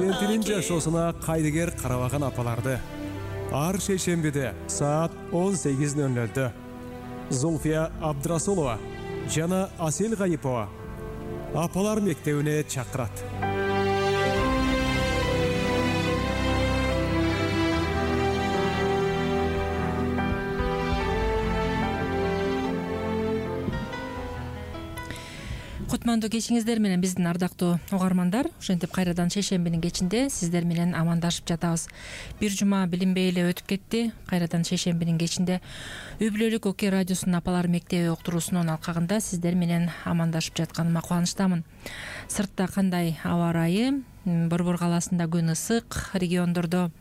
перзентинин жашоосуна кайдыгер карабаган апаларды ар шейшембиде саат 18:00 Зульфия Абдрасулова жана Асел Гайипова апалар мектебине чакырат. Кутмандуу кечиңиздер менен биздин ардактуу угармандар. Ошентип кайрадан шейшембинин кечинде сиздер менен амандашып жатабыз. Бир жума билинбей эле өтүп кетти. Кайрадан шейшембинин кечинде Үй бүлөлүк ОК радиосунун апалар мектеби уктуруусунун алкагында сиздер менен амандашып жатканыма кубанычтамын. Сыртта кандай аба ырайы? Борбор каласында күн ысык, региондордо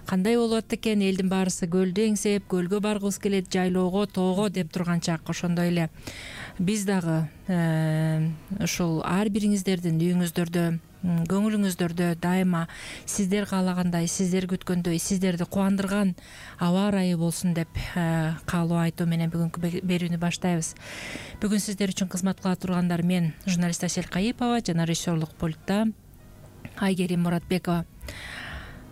кандай болуп атат экен? Элдин баарысы көлдү эңсеп, көлгө баргыбыз келет, жайлоого, тоого деп турган чак. Ошондой эле биз дагы ушул ар бириңиздердин үйүңүздөрдө, көңүлүңүздөрдө дайыма сиздер каалагандай, сиздер күткөндөй, сиздерди кубандырган аба ырайы болсун деп каалоо айтуу менен бүгүнкү берүүнү баштайбыз. Бүгүн сиздер үчүн кызмат кыла тургандар мен, журналист Асел Гайипова жана режиссерлук пультта Айгерим Муратбекова.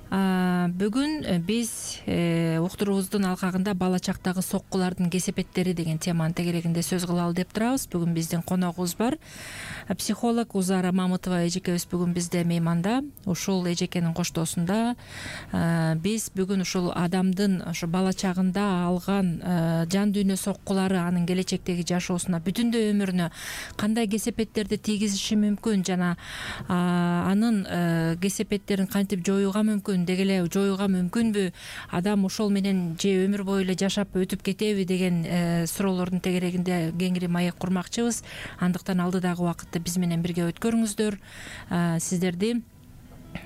Бүгүн биз уктуруубуздун алкагында бала чактагы соккулардын кесепеттери деген теманын тегерегинде сөз кылалы деп турабыз. Бүгүн биздин коногубуз бар. Психолог Узара Мамытова эжекебиз бүгүн бизде мейманда. Ушул эжекенин коштоосунда биз бүгүн ушул адамдын ошо бала чагында алган жан дүйнө соккулары анын келечектеги жашоосуна, бүтүндөй өмүрүнө кандай кесепеттерди тийгизиши мүмкүн жана анын кесепеттерин кантип жоюуга мүмкүн, деги эле жоюуга мүмкүнбү, адам ошол менен же өмүр бою эле жашап өтүп кетеби деген суроолордун тегерегинде кеңири маек курмакчыбыз. Андыктан алдыдагы убакытты биз менен бирге өткөрүңүздөр. Сиздерди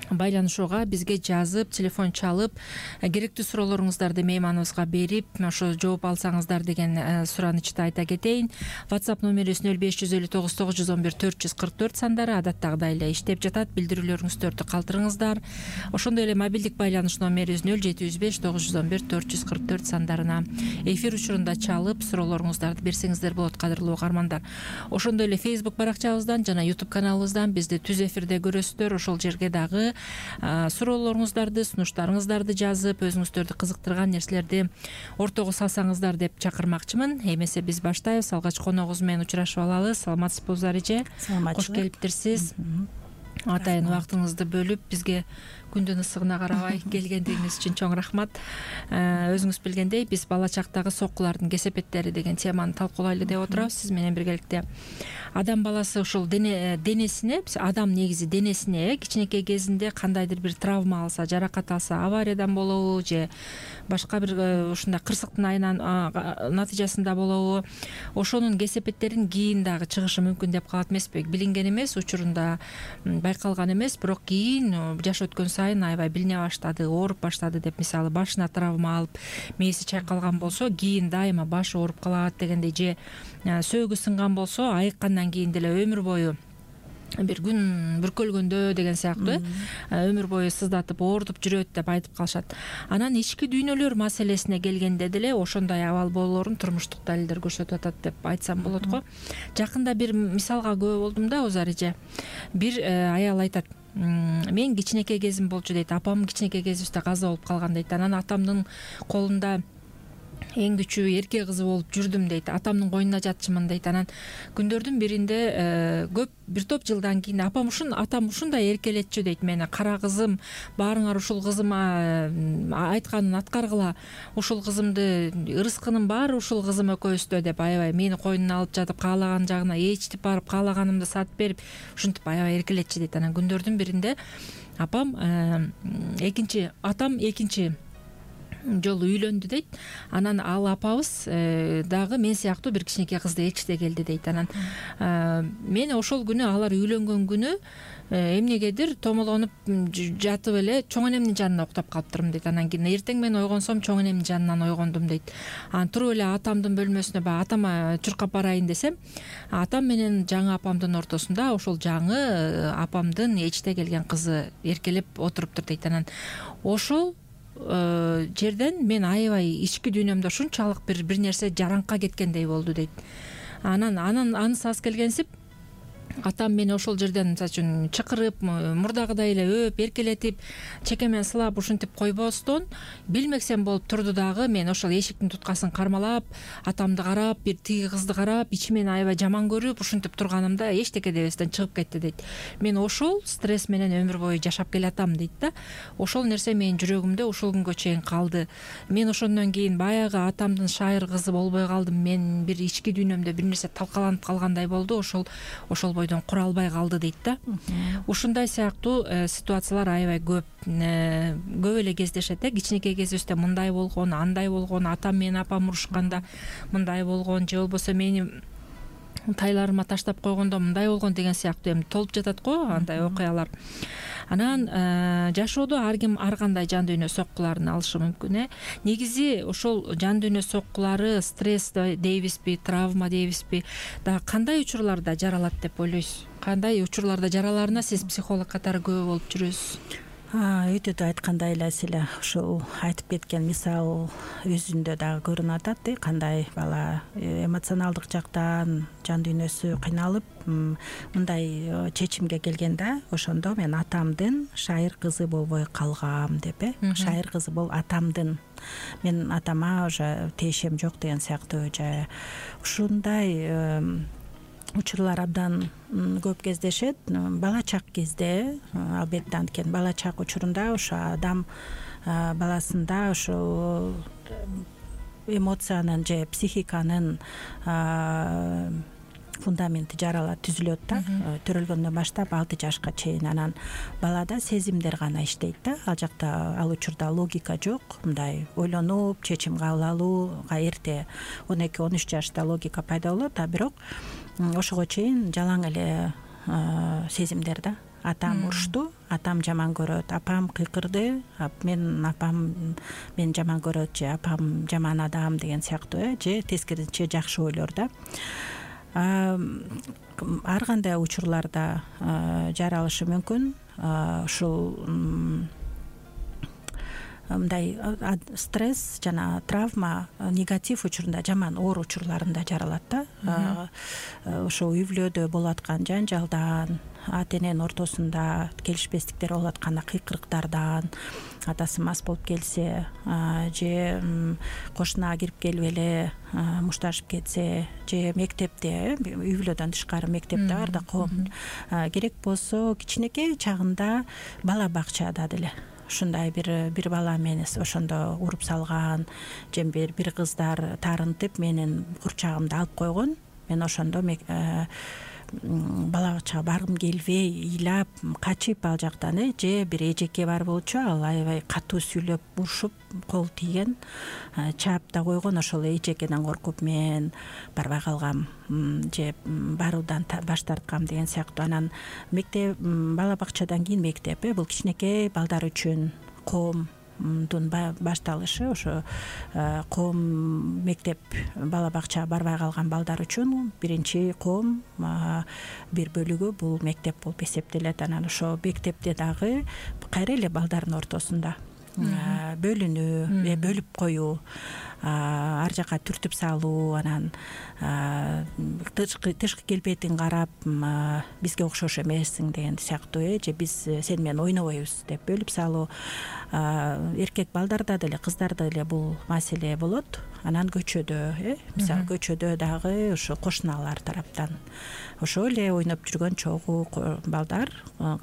байланышууга бизге жазып, телефон чалып, керектүү суроолоруңуздарды мейманыбызга берип, ошо жооп алсаңыздар деген суранычты айта кетейин. WhatsApp номерибиз 0559 911 444 сандары адаттагыдай эле иштеп жатат. Билдирүүлөрүңүздөрдү калтырыңыздар. Ошондой эле мобилдик байланыш номерибиз 0755 911 444 сандарына эфир учурунда чалып, суроолоруңуздарды берсеңиздер болот, кадырлуу угармандар. Ошондой эле Facebook баракчабыздан жана YouTube каналыбыздан бизди түз эфирде көрөсүздөр. Ошол жерге дагы суроолоруңуздарды, сунуштарыңыздарды жазып, өзүңүздөрдү кызыктырган нерселерди ортого салсаңыздар деп чакырмакчымын. Эмесе биз баштайбыз. Алгач коногубуз менен учурашып алалы. Саламатсызбы эже? Кош келиптирсиз. Атайын убактыңызды бөлүп бизге күндүн ысыгына карабай келгендигиңиз үчүн чоң рахмат. Өзүңүз билгендей, биз бала чактагы соккулардын кесепеттери деген теманы талкуулайлы деп отурабыз. Сиз менен биргеликте адам баласы ушул денесине, адам негизи денесине кичинекей кезинде кандайдыр бир травма алса, жаракат алса, авариядан болобу же башка бир ушундай кырсыктын натыйжасында болобу, ошонун кесепеттерин кийин дагы чыгышы мүмкүн деп калат эмеспи? Билинген эмес, учурунда байкалган эмес, бирок кийин жаш өткөн сайын аябай билине баштады, ооруп баштады деп, мисалы башына травма алып мээси чайкалган болсо, кийин дайыма башы ооруп калат дегендей, же сөөгү сынган болсо, айыккандан кийин деле өмүр бою бир күн бүркөлгөндө деген сыяктуу өмүр бою сыздатып оорутуп жүрөт деп айтып калышат. Анан ички дүйнөлөр маселесине келгенде деле ошондой абал болоорун турмуштук далилдер көрсөтүп атат деп айтсам болот го. Жакында бир мисалга күбө болдум да, Узар эже. Бир аял айтат: мен кичинекей кезим болчу дейт, апам кичинекей кезибизде каза болуп калган дейт. Анан атамдын колунда эң күчүү эрке кызы болуп жүрдүм дейт. Атамдын койнуна жатчымын дейт. Анан күндөрдүн биринде көп бир топ жылдан кийин атам ушундай эркелетчү дейт мени. Кара кызым, баарыңар ушул кызыма айтканын аткаргыла. Ушул кызымды, ырыскынын баары ушул кызым экөөбүздө деп аябай мени койнуна алып жатып, каалаган жагына ээрчитип барып, каалаганымды сатып берип, ушинтип аябай эркелетчү дейт. Анан күндөрдүн биринде атам экинчи жолу үйлөндү дейт. Анан ал апабыз дагы мен сыяктуу бир кичинекей кызды ээрчите келди дейт. Анан мен ошол күнү, алар үйлөнгөн күнү эмнегедир томолонуп жатып эле чоң энемдин жанына уктап калыптырмын дейт. Анан кийин эртең мен ойгонсом чоң энемдин жанынан ойгондум дейт. Анан туруп эле атамдын бөлмөсүнө баягы атама чуркап барайын десем, атам менен жаңы апамдын ортосунда ошол жаңы апамдын ээрчите келген кызы эркелеп отуруптур дейт. Анан ошол жерден мен аябай ички дүйнөмдө ушунчалык бир нерсе жараңка кеткендей болду дейт. Анан анысы аз келгенсип атам мени ошол жерден мисалы үчүн чакырып, мурдагыдай эле өп, эркелетип, чекемен сылап ушинтип койбостон билмексем болуп турду дагы. Мен ошол эшиктин туткасын кармалап, атамды карап, бир тиги кызды карап, ичимен аябай жаман көрүп, ушинтип турганымда эчтеке дебестен чыгып кетти дейт. Мен ошол стресс менен өмүр бою жашап келатам дейт да. Ошол нерсе менин жүрөгүмдө ушул күнгө чейин калды. Мен ошондон кийин баягы атамдын шайыр кызы болбой калдым. Мен бир ички дүйнөмдө бир нерсе талкаланып калгандай болду. Ошол бойдон кура албай калды дейт да. Ушундай сыяктуу ситуациялар аябай көп эле кездешет. Кичинекей кезибизде мындай болгон, андай болгон, атам менен апам урушканда мындай болгон, же болбосо мени тайларыма таштап койгондо мындай болгон деген сыяктуу эми толуп жатат го андай окуялар. Анан жашоодо ар ким ар кандай жан дүйнө соккуларын алышы мүмкүн. Негизи ошол жан дүйнө соккулары, стресс дейбизби, травма дейбизби, дагы кандай учурларда жаралат деп ойлойсуз? Кандай учурларда жараларына сиз психолог катары күбө болуп жүрөсүз? Өтө айткандай эле эле ушул айтып кеткен мисал өзүндө дагы көрүнүп атат. Кандай бала эмоционалдык жактан жан дүйнөсү кыйналып мындай чечимге келген да, ошондо мен атамдын шайыр кызы болбой калгам деп. Шайыр кызы атамдын, мен атама уже тиешем жок деген сыяктуу же ушундай учурлар абдан көп кездешет. Бала чак кезде албетте, анткени бала чак учурунда ошо адам баласында ошо эмоциянын же психиканын фундаменти жаралат, түзүлөт да. Төрөлгөндөн баштап 6 жашка чейин. Анан балада сезимдер гана иштейт да. Ал жакта, ал учурда логика жок. Мындай ойлонуп, чечим кабыл алууга эрте 12-13 жашта логика пайда болот, а бирок ошого чейин жалаң эле сезимдер да. Атам урушту, атам жаман көрөт, апам кыйкырды, апам мен жаман көрөт, же апам жаман адам деген сыяктуу, же тескерисинче жакшы ойлор да. Ар кандай учурларда жаралышы мүмкүн. Ушул мындай стресс жана травма негатив учурунда, жаман оор учурларында жаралат да. Ошо үй бүлөдө болуп аткан жанжалдан, ата эненин ортосунда келишпестиктер болуп атканда кыйкырыктардан, атасы мас болуп келсе, же кошуна кирип келип эле мушташып кетсе, же мектепте, үй бүлөдөн тышкары мектепте бар да, коом керек болсо кичинекей чагында бала бакчада деле ушундай бир бала мени ошондо уруп салган, же бир кыздар таарынтып менин курчагымды алып койгон. Мен ошондо бала бакчага баргым келбей, ыйлап, качып ал жактан, же бир эжеке бар болчу, ал аябай катуу сүйлөп, урушуп, кол тийген, чаап да койгон. Ошол эжекеден коркуп мен барбай калгам, же баруудан баш тарткам деген сыяктуу. Анан мектеп, бала бакчадан кийин мектеп, бул кичинекей балдар үчүн коомдун башталышы. Ошо коом мектеп, бала бакчага барбай калган балдар үчүн биринчи коом бир бөлүгү бул мектеп болуп эсептелет. Анан ошо мектепте дагы кайра эле балдардын ортосунда бөлүнүү, бөлүп коюу, ар жака түртүп салуу, анан тышкы келбетиң карап бизге окшош эмессиң деген сыяктуу, же биз сен менен ойнобойбуз деп бөлүп салуу. Эркек балдарда деле, кыздарда деле бул маселе болот. Анан көчөдө, мисалы көчөдө дагы ошо кошуналар тараптан ошо эле ойноп жүргөн чогуу балдар,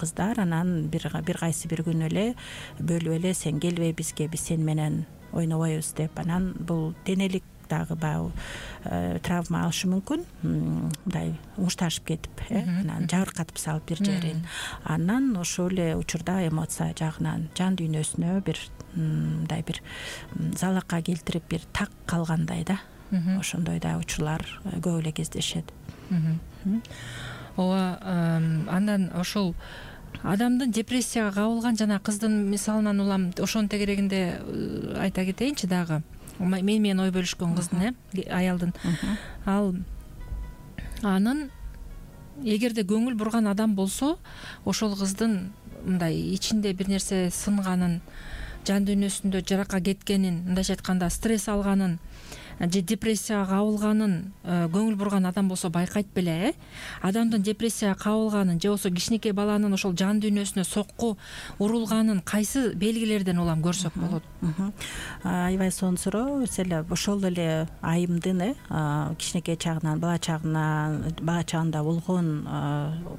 кыздар, анан бир кайсы бир күнү эле бөлүп эле сен келбей бизге, биз сен менен ойнобойбуз деп. Анан бул денелик дагы баягы травма алышы мүмкүн, мындай мушташып кетип, анан жабыркатып салып бир жерин. Анан ошол эле учурда эмоция жагынан жан дүйнөсүнө бир мындай бир залакка келтирип, бир так калгандай да. Ошондой да учурлар көп эле кездешет. Ооба, андан ошол адамдын депрессияга кабылган жана кыздын мисалынан улам, ошонун тегерегинде айта кетейинчи дагы. Менен ой бөлүшкөн кыздын, аялдын. Ал анын эгерде көңүл бурган адам болсо, ошол кыздын мындай ичинде бир нерсе сынганын, жан дүйнөсүндө жаракка кеткенин, мындайча айтканда стресс алганын же депрессияга кабылганын көңүл бурган адам болсо байкайт беле, адамдын депрессияга кабылганын же болбосо кичинекей баланын ошол жан дүйнөсүнө сокку урулганын кайсы белгилерден улам көрсөк болот? Аябай сонун суроо. Ошол эле айымдын кичинекей чагынан, бала чагында болгон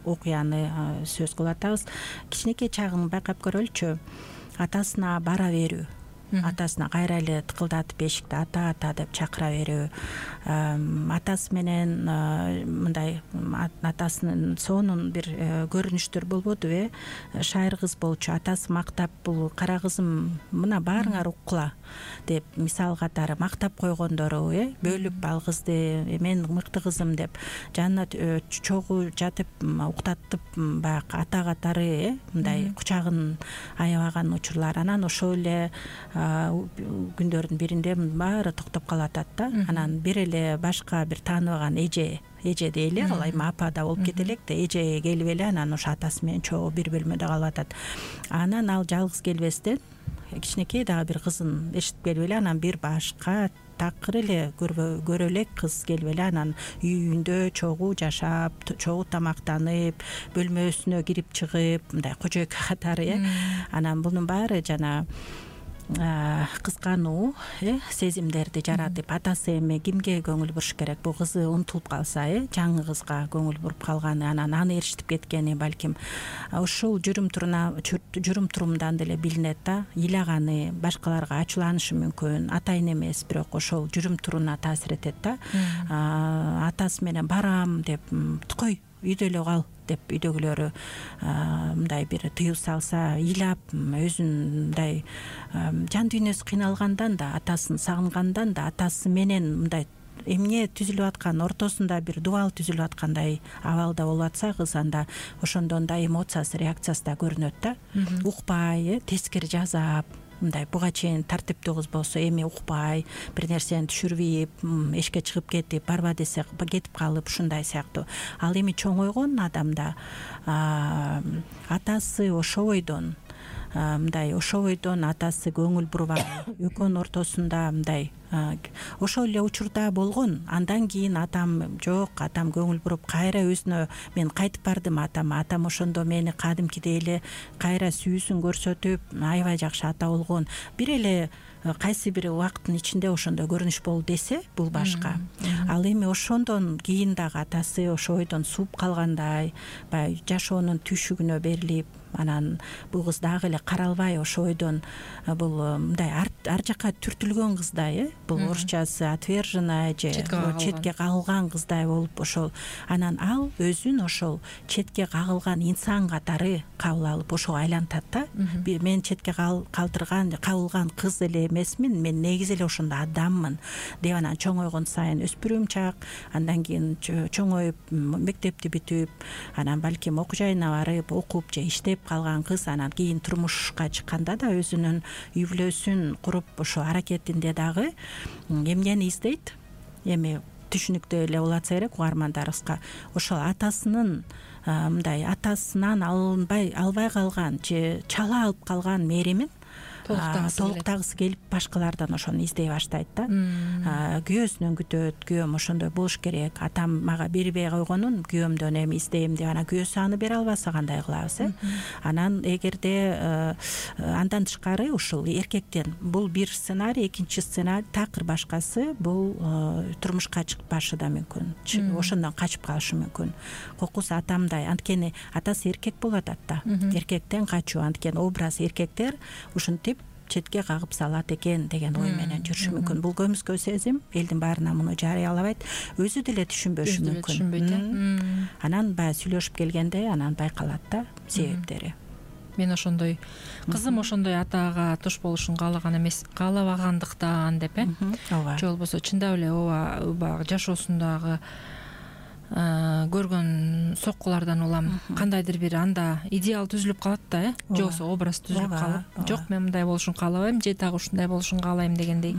окуяны сөз кылып атабыз. Кичинекей чагын байкап көрөлүчү. Атасына бара берүү, атасына кайра эле тыкылдатып эшикти ата деп чакыра берүү, атасы менен мындай атасынын сонун бир көрүнүштөр болбодубу, шайыр кыз болчу, атасы мактап, бул кара кызым мына баарыңар уккула деп мисал катары мактап койгондору, бөлүп ал кызды мен мыкты кызым деп жанына чогуу жатып уктатып баягы ата катары мындай кучагын аябаган учурлар. Анан ошол эле күндөрдүн биринде баары токтоп калып атат да. Анан бир эле башка бир тааныбаган эже дейли, ал эми апа да болуп кете элек да, эже келип эле анан ошо атасы менен чогуу бир бөлмөдө калып атат. Анан ал жалгыз келбестен кичинекей дагы бир кызын эшитип келип эле, анан бир башка такыр эле көрө элек кыз келип эле анан үйүндө чогуу жашап, чогуу тамактанып, бөлмөсүнө кирип чыгып, мындай кожойка катары. Анан бунун баары жана кыскануу сезимдерди жаратып, атасы эми кимге көңүл буруш керек? Бул кызы унутулуп калса, жаңы кызга көңүл буруп калганы, анан аны ээрчитип кеткени балким ушул жүрүм-турумдан деле билинет да. Ыйлаганы, башкаларга ачууланышы мүмкүн, атайын эмес, бирок ошол жүрүм-туруна таасир этет да. Атасы менен барам деп, кой үйдө эле кал деп үйдөгүлөрү мындай бир тыюу салса, ыйлап өзүн мындай жан дүйнөсү кыйналгандан да, атасын сагынгандан да, атасы менен мындай эмне түзүлүп аткан ортосунда бир дубал түзүлүп аткандай абалда болуп атса, кыз анда ошондон да эмоциясы, реакциясы да көрүнөт да. Укпай, тескери жазап, мындай буга чейин тартиптүү кыз болсо эми укпай, бир нерсени түшүрбөйп, эшикке чыгып кетип, барба десе кетип калып, ушундай сыяктуу. Ал эми чоңойгон адамда атасы ошобойдон атасы көңүл бурбаган, экөөнүн ортосунда мындай ошол эле учурда болгон. Андан кийин атам жок, атам көңүл буруп кайра өзүнө мен кайтып бардым атам ошондо мени кадимкидей эле кайра сүүсүн көрсөтүп, аябай жакшы ата болгон. Бир эле кайсы бир убакыттын ичинде ошондой көрүнүш болду десе, бул башка. Ал эми ошондон кийин дагы атасы ошо ойдон сууп калгандай, баягы жашоонун түйшүгүнө берилип, анан бул кыз дагы эле каралбай ошо ойдон бул мындай ар жакка түртүлгөн кыздай, бул орусчасы отверженная же четке кагылган кыздай болуп ошол. Анан ал өзүн ошол четке кагылган инсан катары кабыл алып ошого айлантат да. Мен четке кабылган кыз эле эмесмин, мен негизи эле ошондой адаммын деп анан чоңойгон сайын өспүрүм чак, андан кийин чоңоюп мектепти бүтүп, анан балким окуу жайына барып окуп же иштеп калган кыз анан кийин турмушка чыкканда да өзүнүн үй бүлөсүн куруп ошо аракетинде дагы эмнени издейт? Эми түшүнүктүү эле болуп атса керек угармандарыбызга. Ошол атасынын мындай атасынан албай калган же чала алып калган мээримин толуктагысы келип башкалардан ошону издей баштайт да. Күйөөсүнөн күтөт, күйөөм ошондой болуш керек, атам мага бербей койгонун күйөөмдөн эми издейм деп, анан күйөөсү аны бере албаса кандай кылабыз? Анан эгерде андан тышкары ушул эркектен бул бир сценарий, экинчи сценарий такыр башкасы бул турмушка чыкпашы да мүмкүн, ошондон качып калышы мүмкүн. Кокус атамдай, анткени атасы эркек болуп атат да. Эркектен качуу, анткени образ эркектер ушинтип четке кагып салат экен деген ой менен жүрүшү мүмкүн. Бул көмүскө сезим, элдин баарына муну жарыялабайт, өзү деле түшүнбөшү мүмкүн. Анан баягы сүйлөшүп келгенде анан байкалат да себептери. Мен ошондой кызым ошондой атага туш болушун каалаган эмес, каалабагандыктан деп, же болбосо чындап эле ооба жашоосундагы көргөн соккулардан улам кандайдыр бир анда идеал түзүлүп калат да, же болбосо образ түзүлүп калып, жок мен мындай болушун каалабайм же дагы ушундай болушун каалайм дегендей.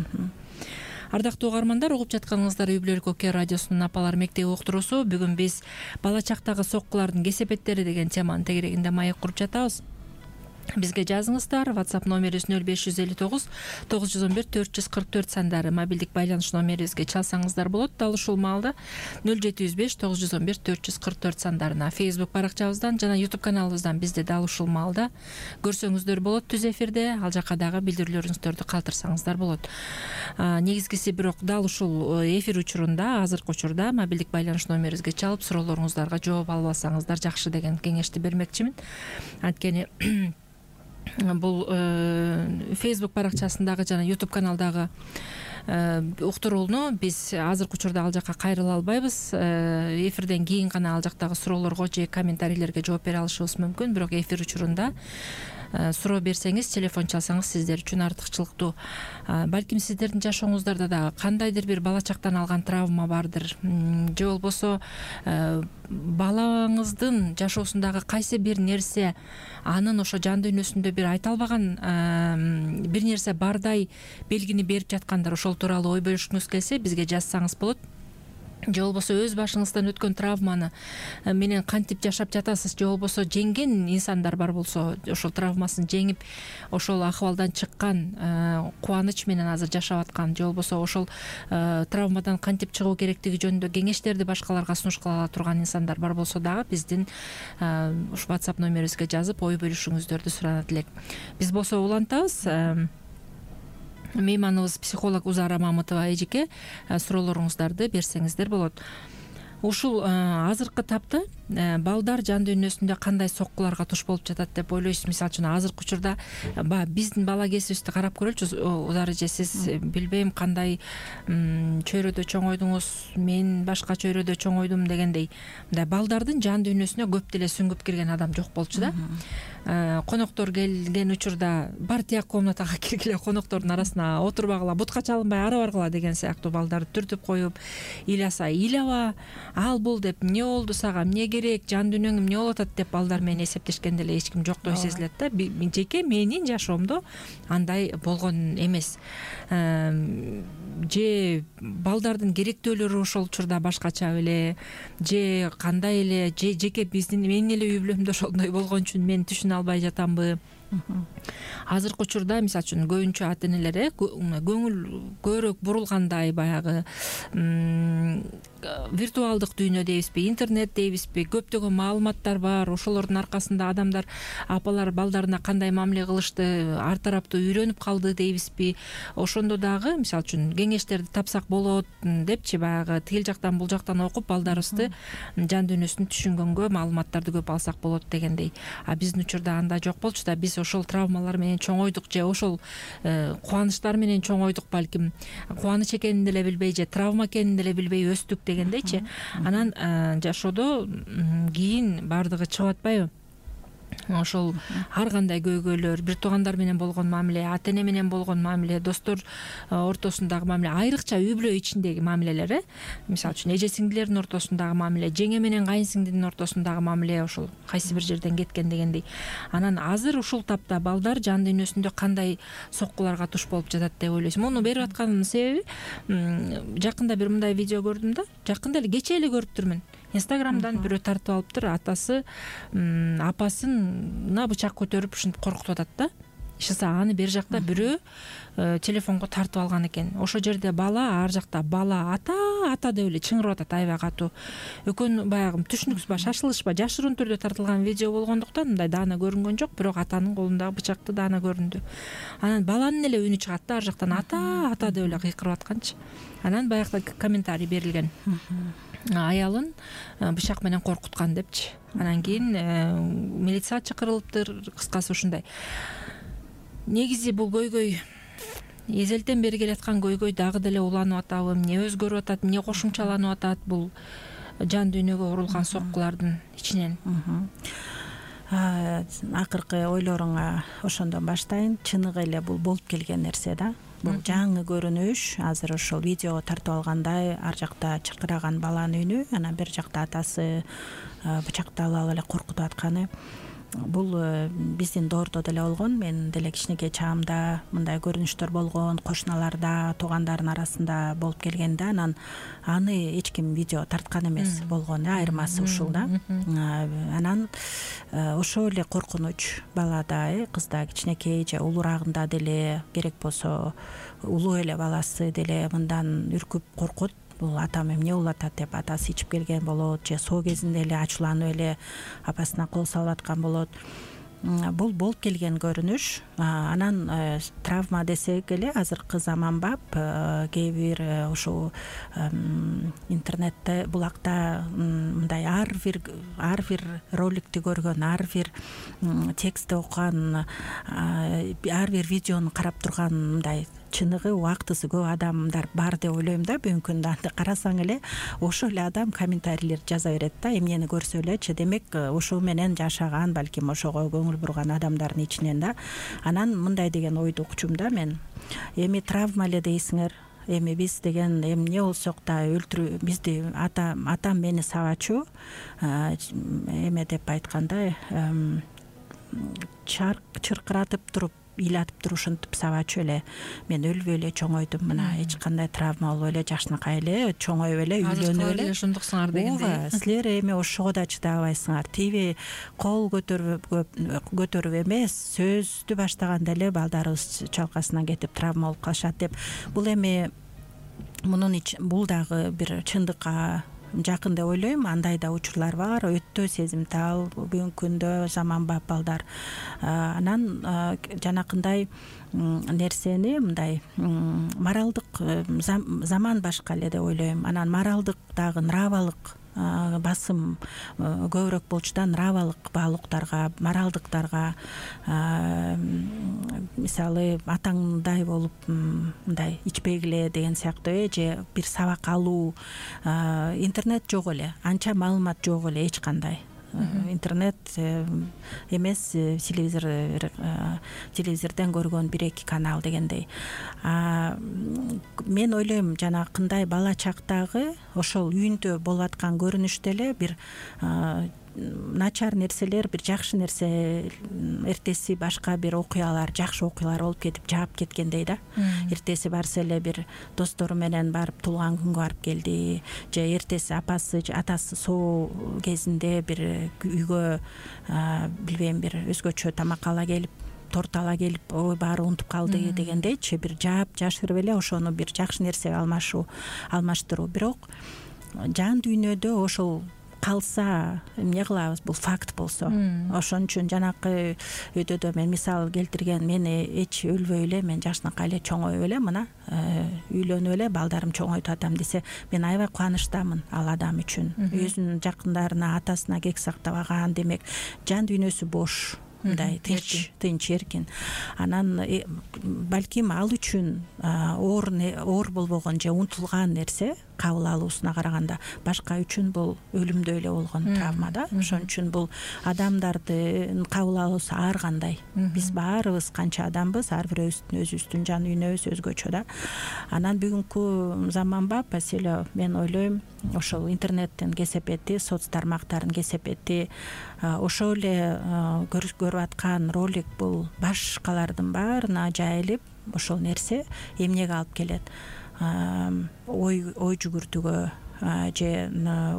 Ардактуу угармандар, угуп жатканыңыздар Үй бүлөлүк Оке радиосунун Апалар мектеби уктуруусу. Бүгүн биз бала чактагы соккулардын кесепеттери деген теманын тегерегинде маек куруп жатабыз. Бизге жазыңыздар. WhatsApp номерибиз 0559 911 444 сандары мобилдик байланыш номерибизге чалсаңыздар болот. Дал ушул маалда 0705 911 444 сандарына Facebook баракчабыздан жана YouTube каналыбыздан бизди дал ушул маалда көрсөңүздөр болот түз эфирде. Ал жака дагы билдирүүлөрүңүздөрдү калтырсаңыздар болот. Негизгиси бирок дал ушул эфир учурунда, азыркы учурда мобилдик байланыш номерибизге чалып суроолоруңуздарга жооп албасаңыздар жакшы деген кеңешти бермекчимин. Анткени бул Facebook баракчасындагы жана YouTube каналдагы уктурууну биз азыркы учурда ал жака кайрыла албайбыз. Эфирден кийин гана ал жактагы суроолорго же комментарийлерге жооп бере алышыбыз мүмкүн. Бирок эфир учурунда суроо берсеңиз, телефон чалсаңыз сиздер үчүн артыкчылыктуу. Балким сиздердин жашооңуздарда да кандайдыр бир бала чактан алган травма бардыр, же болбосо балаңыздын жашоосундагы кайсы бир нерсе анын ошо жан дүйнөсүндө бир айта албаган бир нерсе бардай белгини берип жаткандар. Ошол тууралуу ой бөлүшкүңүз келсе, бизге жазсаңыз болот. Же болбосо өз башыңыздан өткөн травманы менен кантип жашап жатасыз, же болбосо жеңген инсандар бар болсо, ошол травмасын жеңип, ошол акыбалдан чыккан, кубаныч менен азыр жашап аткан, же болбосо ошол травмадан кантип чыгуу керектиги жөнүндө кеңештерди башкаларга сунуш кыла ала турган инсандар бар болсо дагы биздин ушу WhatsApp номерибизге жазып ой бөлүшүңүздөрдү суранат элек. Биз болсо улантабыз. Мейманыбыз психолог Узара Мамытова эжеке, суроолоруңуздарды берсеңиздер болот. Ушул азыркы тапта балдар жан дүйнөсүндө кандай соккуларга туш болуп жатат деп ойлойсуз? Мисалы үчүн азыркы учурда биздин бала кезибизди карап көрөлүчү. Узар эже, сиз билбейм кандай чөйрөдө чоңойдуңуз, мен башка чөйрөдө чоңойдум дегендей, мындай балдардын жан дүйнөсүнө көп деле сүңгүп кирген адам жок болчу да. Коноктор келген учурда бар тияк комнатага киргиле, коноктордун арасына отурбагыла, бутка чалынбай ара баргыла деген сыяктуу балдарды түртүп коюп, ыйласа ыйлаба, ал бул деп, эмне болду сага, эмне керек, жан дүйнөң эмне болуп атат деп балдар менен эсептешкен деле эч ким жоктой сезилет да. Жеке менин жашоомдо андай болгон эмес. Же балдардын керектөөлөрү ошол учурда башкача беле, же кандай эле, же жеке менин эле үй бүлөмдө ошондой болгон үчүн мен түшүнө албай жатамбы? Азыркы учурда мисалы үчүн көбүнчө ата энелер көңүл көбүрөөк бурулгандай, баягы виртуалдык дүйнө дейбизби, интернет дейбизби, көптөгөн маалыматтар бар. Ошолордун аркасында адамдар, апалар балдарына кандай мамиле кылышты ар тараптуу үйрөнүп калды дейбизби. Ошондо дагы мисалы үчүн кеңештерди тапсак болот депчи, баягы тил жактан бул жактан окуп балдарыбызды жан дүйнөсүн түшүнгөнгө маалыматтарды көп алсак болот дегендей. А биздин учурда андай жок болчу да. Биз ошол травмалар менен чоңойдук, же ошол кубанычтар менен чоңойдук, балким кубаныч экенин деле билбей, же травма экенин деле билбей өстүк дегендейчи. Анан жашоодо кийин баардыгы чыгып атпайбы? Ошол ар кандай көйгөйлөр, бир туугандар менен болгон мамиле, ата эне менен болгон мамиле, достор ортосундагы мамиле, айрыкча үй бүлө ичиндеги мамилелер, мисалы үчүн эже сиңдилердин ортосундагы мамиле, жеңе менен кайын сиңдинин ортосундагы мамиле ошол кайсы бир жерден кеткен дегендей. Анан азыр ушул тапта балдар жан дүйнөсүндө кандай соккуларга туш болуп жатат деп ойлойсуң? Муну берип атканымдын себеби, жакында бир мындай видео көрдүм да, жакында эле, кечээ эле көрүптүрмүн. Инстаграмдан бирөө тартып алыптыр, атасы апасына бычак көтөрүп ушинтип коркутуп атат да. Ишса аны бери жакта бирөө телефонго тартып алган экен. Ошол жерде бала, ар жакта бала ата деп эле чыңырып атат аябай катуу. Экөө баягы түшүнүксүз ба, шашылышпа, жашыруун түрдө тартылган видео болгондуктан мындай даана көрүнгөн жок, бирок атанын колундагы бычакты даана көрүндү. Анан баланын эле үнү чыгат да, ар жактан ата деп эле кыйкырып атканчы. Анан баягы комментарий берилген. Аялын бычак менен коркуткан депчи. Анан кийин милиция чакырылыптыр. Кыскасы ушундай. Негизи бул көйгөй эзелтен бери келаткан көйгөй дагы деле уланып атабы, эмне өзгөрүп атат, эмне кошумчаланып атат бул жан дүйнөгө урулган соккулардын ичинен? Акыркы ойлоруңа ошондон баштайын. Чыныгы эле бул болуп келген нерсе да. Бул жаңы көрүнүш. Азыр ошол видеого тартып алгандай, ар жакта чыркыраган баланын үнү, анан бир жакта атасы бычакты ала эле коркутуп атканы. бул биздин доордо деле болгон. Мен деле кичинекей чагымда мындай көрүнүштөр болгон, кошуналарда, туугандардын арасында болуп келгенде анан аны эч ким видео тарткан эмес болгон, айырмасы ушул да. Анан ошол эле коркунуч балада, кызда кичинекей же улуурагында деле керек болсо улуу эле баласы деле мындан үркүп коркот. Бул атам эмне болуп атат деп атасы ичип келген болот, же соо кезинде эле ачууланып эле апасына кол салып аткан болот. Бул болуп келген көрүнүш. Анан травма десек эле азыркы заманбап кээ бир ушул интернетте булакта мындай ар бир роликти көргөн, ар бир текстти окуган, ар бир видеону карап турган мындай чыныгы убактысы көп адамдар бар деп ойлойм да. Бүгүнкү күндө анда карасаң эле ошол эле адам комментарийлер жаза берет да, эмнени көрсө элечи. Демек ошол менен жашаган, балким ошого көңүл бурган адамдардын ичинен да. Анан мындай деген ойду укчум да мен. Эми травма эле дейсиңер. Эми биз деген эмне болсок да өлтүрүү, бизди атам мени сабачу эме деп айткандай чыркыратып туруп ыйлатып туруп ушинтип сабачу эле. Мен өлбөй эле чоңойдум, мына эч кандай травма болбой эле жакшынакай эле чоңоюп эле үйлөнүп эле ошондуксуңар дегендей. Силер эми ошого да чыдабайсыңар. Тиби кол көтөрүп эмес, сөздү баштаганда эле балдарыбыз чалкасынан кетип травма болуп калышат деп. Бул эми бул дагы бир чындыкка жакын деп ойлойм. Андай да учурлар бар, өтө сезимтал бүгүнкү күндө заманбап балдар. Анан жанакындай нерсени мындай моралдык заман башка эле деп ойлойм. Анан моралдык дагы нравалык басым көбүрөөк болчу да, нравалык баалуулуктарга, моралдыктарга. Мисалы атаңдай болуп мындай ичпегиле деген сыяктуу же бир сабак алуу. Интернет жок эле, анча маалымат жок эле эч кандай. Интернет эмес, телевизорден көргөн 1-2 канал дегендей. Мен ойлойм жанакындай бала чактагы ошол үйүндө болуп аткан көрүнүштө эле бир начар нерселер, бир жакшы нерсе, эртеси башка бир окуялар, жакшы окуялар болуп кетип жаап кеткендей да. Эртеси барса эле бир достору менен барып туулган күнгө барып келди, же эртеси атасы соо кезинде бир үйгө билбейм бир өзгөчө тамак ала келип, торт ала келип, ой баары унутуп калды дегендейчи, бир жаап жашырып эле ошону бир жакшы нерсеге алмаштыруу. Бирок жан дүйнөдө ошол калса эмне кылабыз, бул факт болсо. Ошон үчүн жанакы өйдөдө мен мисал келтирген, мени эч өлбөй эле, мен жакшынакай эле чоңоюп эле мына үйлөнүп эле балдарым чоңойтуп атам десе, мен аябай кубанычтамын ал адам үчүн. Өзүнүн жакындарына, атасына кек сактабаган, демек жан дүйнөсү бош. Мындай тынч эркин. Анан балким ал үчүн оор болбогон же унутулган нерсе кабыл алуусуна караганда башка үчүн бул өлүмдөй эле болгон травма да. Ошон үчүн бул адамдардын кабыл алуусу ар кандай. Биз баарыбыз канча адамбыз, ар бирөөбүздүн өзүбүздүн жан дүйнөбүз өзгөчө да. Анан бүгүнкү заманбап маселе, мен ойлойм ошол интернеттин кесепети, соц тармактардын кесепети, ошол эле көрүп аткан ролик бул башкалардын баарына жайылып, ошол нерсе эмнеге алып келет? Ой жүгүртүүгө, же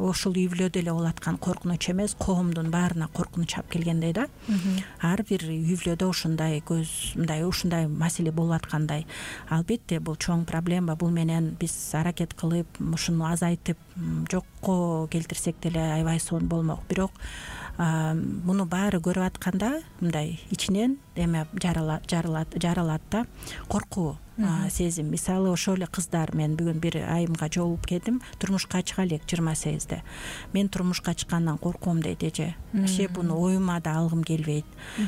ошол үй бүлөдө эле болуп аткан коркунуч эмес, коомдун баарына коркунуч алып келгендей да. Ар бир үй бүлөдө ушундай маселе болуп аткандай. Албетте бул чоң проблема. Бул менен биз аракет кылып ушуну азайтып жокко келтирсек деле аябай сонун болмок. Бирок муну баары көрүп атканда мындай ичинен эме жаралат да, коркуу сезим. Мисалы ошол эле кыздар, мен бүгүн бир айымга жолугуп келдим, турмушка чыга элек 28-де. Мен турмушка чыккандан корком дейт эже. Буну оюма да алгым келбейт.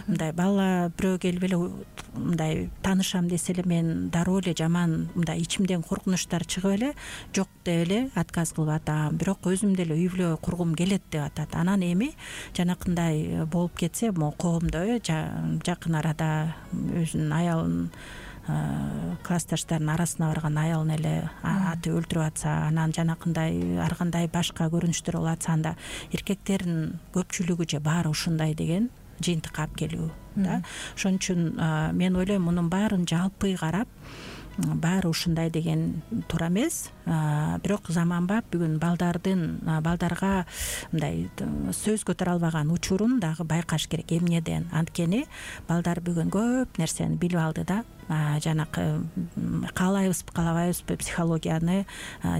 Мындай бала бирөө келип эле мындай таанышам десе эле мен дароо эле жаман мындай ичимден коркунучтар чыгып эле жок деп эле отказ кылып атам. Бирок өзүм деле үй бүлө кургум келет деп атат. Анан эми жанакындай болуп кетсе, могу коомдо жакын арада өзүнүн аялын, классташтардын арасына барган аялын эле атып өлтүрүп атса, анан жанакындай ар кандай башка көрүнүштөр болуп атса, анда эркектердин көпчүлүгү же баары ушундай деген жыйынтыкка алып келүү да. Ошон үчүн мен ойлойм мунун баарын жалпы карап баары ушундай деген туура эмес. Бирок заманбап бүгүн балдарга мындай сөз көтөрө албаган учурун дагы байкаш керек эмнеден. Анткени балдар бүгүн көп нерсени билип алды да. Жанакы каалайбызбы каалабайбызбы психологияны,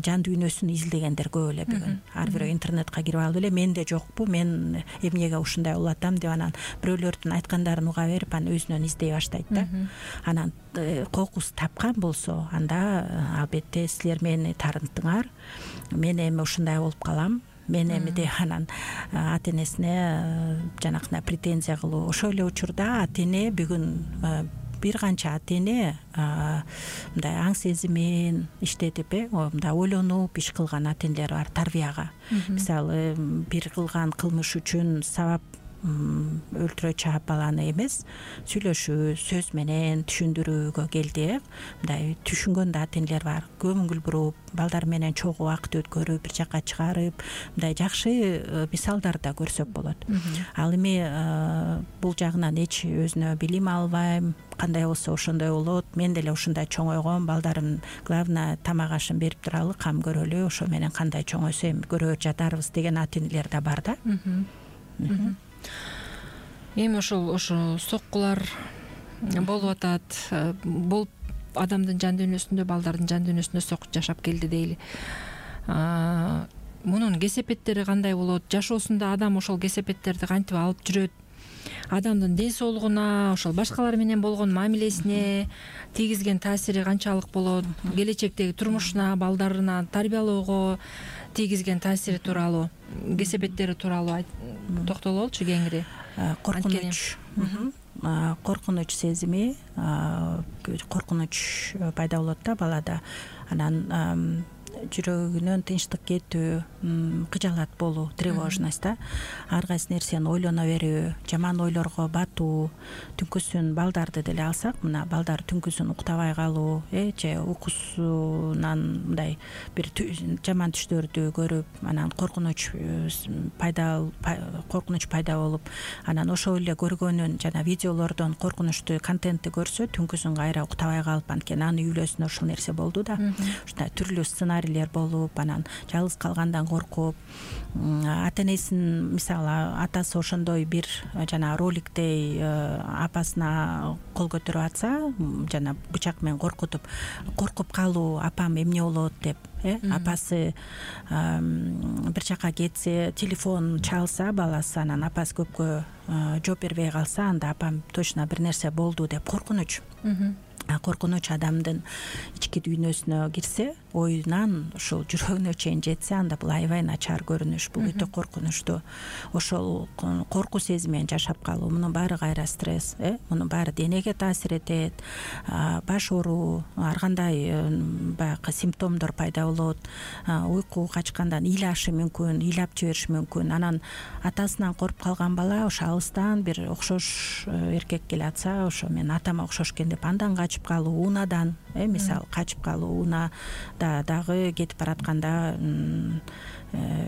жан дүйнөсүн изилдегендер көп эле бүгүн. Ар бирөө интернетке кирип алып эле менде жокпу, мен эмнеге ушундай болуп атам деп анан бирөөлөрдүн айткандарын уга берип анан өзүнөн издей баштайт да. Анан кокус тапкан болсо анда албетте силер мени таарынтыңар, мен эми ушундай болуп калам, мен эми деп анан ата энесине жанакындай претензия кылуу. Ошол эле учурда ата эне бүгүн бир канча ата эне мындай аң сезимин иштетип мындай ойлонуп иш кылган ата энелер бар тарбияга. Мисалы бир кылган кылмыш үчүн сабап өлтүрө чаап баланы эмес, сүйлөшүү, сөз менен түшүндүрүүгө келди. Мындай түшүнгөн да ата энелер бар. Көңүл буруп, балдар менен чогуу убакыт өткөрүп, бир жака чыгарып, мындай жакшы мисалдар да көрсөк болот. Ал эми бул жагынан эч өзүнө билим албайм, кандай болсо ошондой болот, мен деле ушундай чоңойгом, балдарым главное тамак ашын берип туралы, кам көрөлү, ошо менен кандай чоңойсо эми көрө жатарбыз деген ата энелер да бар да. Эми ошо соккулар болуп атат. Бул адамдын жан дүйнөсүндө, балдардын жан дүйнөсүндө сок жашап келди дейли. Мунун кесепеттери кандай болот? Жашоосунда адам ошол кесепеттерди кантип алып жүрөт? Адамдын ден соолугуна, ошол башкалар менен болгон мамилесине тийгизген таасири канчалык болот? Келечектеги турмушуна, балдарына тарбиялоого тийгизген таасири тууралуу, кесепеттери тууралуу токтололчу кеңири. Коркунуч сезими, коркунуч пайда болот да балада. Анан жүрөгүнөн тынчтык кетүү, кыжаалат болуу, тревожность да. Ар кайсы нерсени ойлоно берүү, жаман ойлорго батуу, түнкүсүн балдарды деле алсак, мына балдар түнкүсүн уктабай калуу, же уйкусунан мындай бир жаман түштөрдү көрүп, анан коркунуч пайда болуп, анан ошол эле көргөнүн жана видеолордон коркунучтуу контентти көрсө, түнкүсүн кайра уктабай калып, анткени анын үй бүлөсүндө ушул нерсе болду да. Ушундай түрлүү сценарийлер болуп, анан жалгыз калгандан коркуп, ата энесин, мисалы атасы ошондой бир жана роликтей апасына кол көтөрүп атса, жана бычак менен коркуп калуу, апам эмне болот деп, апасы бир жака кетсе, телефон чалса баласы, анан апасы көпкө жооп бербей калса, анда апам точно бир нерсе болду деп коркунуч. Коркунуч адамдын ички дүйнөсүнө кирсе, оюнан ушул жүрөгүнө чейин жетсе, анда бул аябай начар көрүнүш, бул өтө коркунучтуу. Ошол коркуу сезими менен жашап калуу, мунун баары кайра стресс, мунун баары денеге таасир этет, баш ооруу, ар кандай баягы симптомдор пайда болот, уйку качкандан ыйлашы мүмкүн, ыйлап жибериши мүмкүн. Анан атасынан коркуп калган бала ошо алыстан бир окшош эркек келе атса, ошо мен атама окшош экен деп андан качып калуу, унадан, мисалы качып калуу, уна дагы кетип баратканда,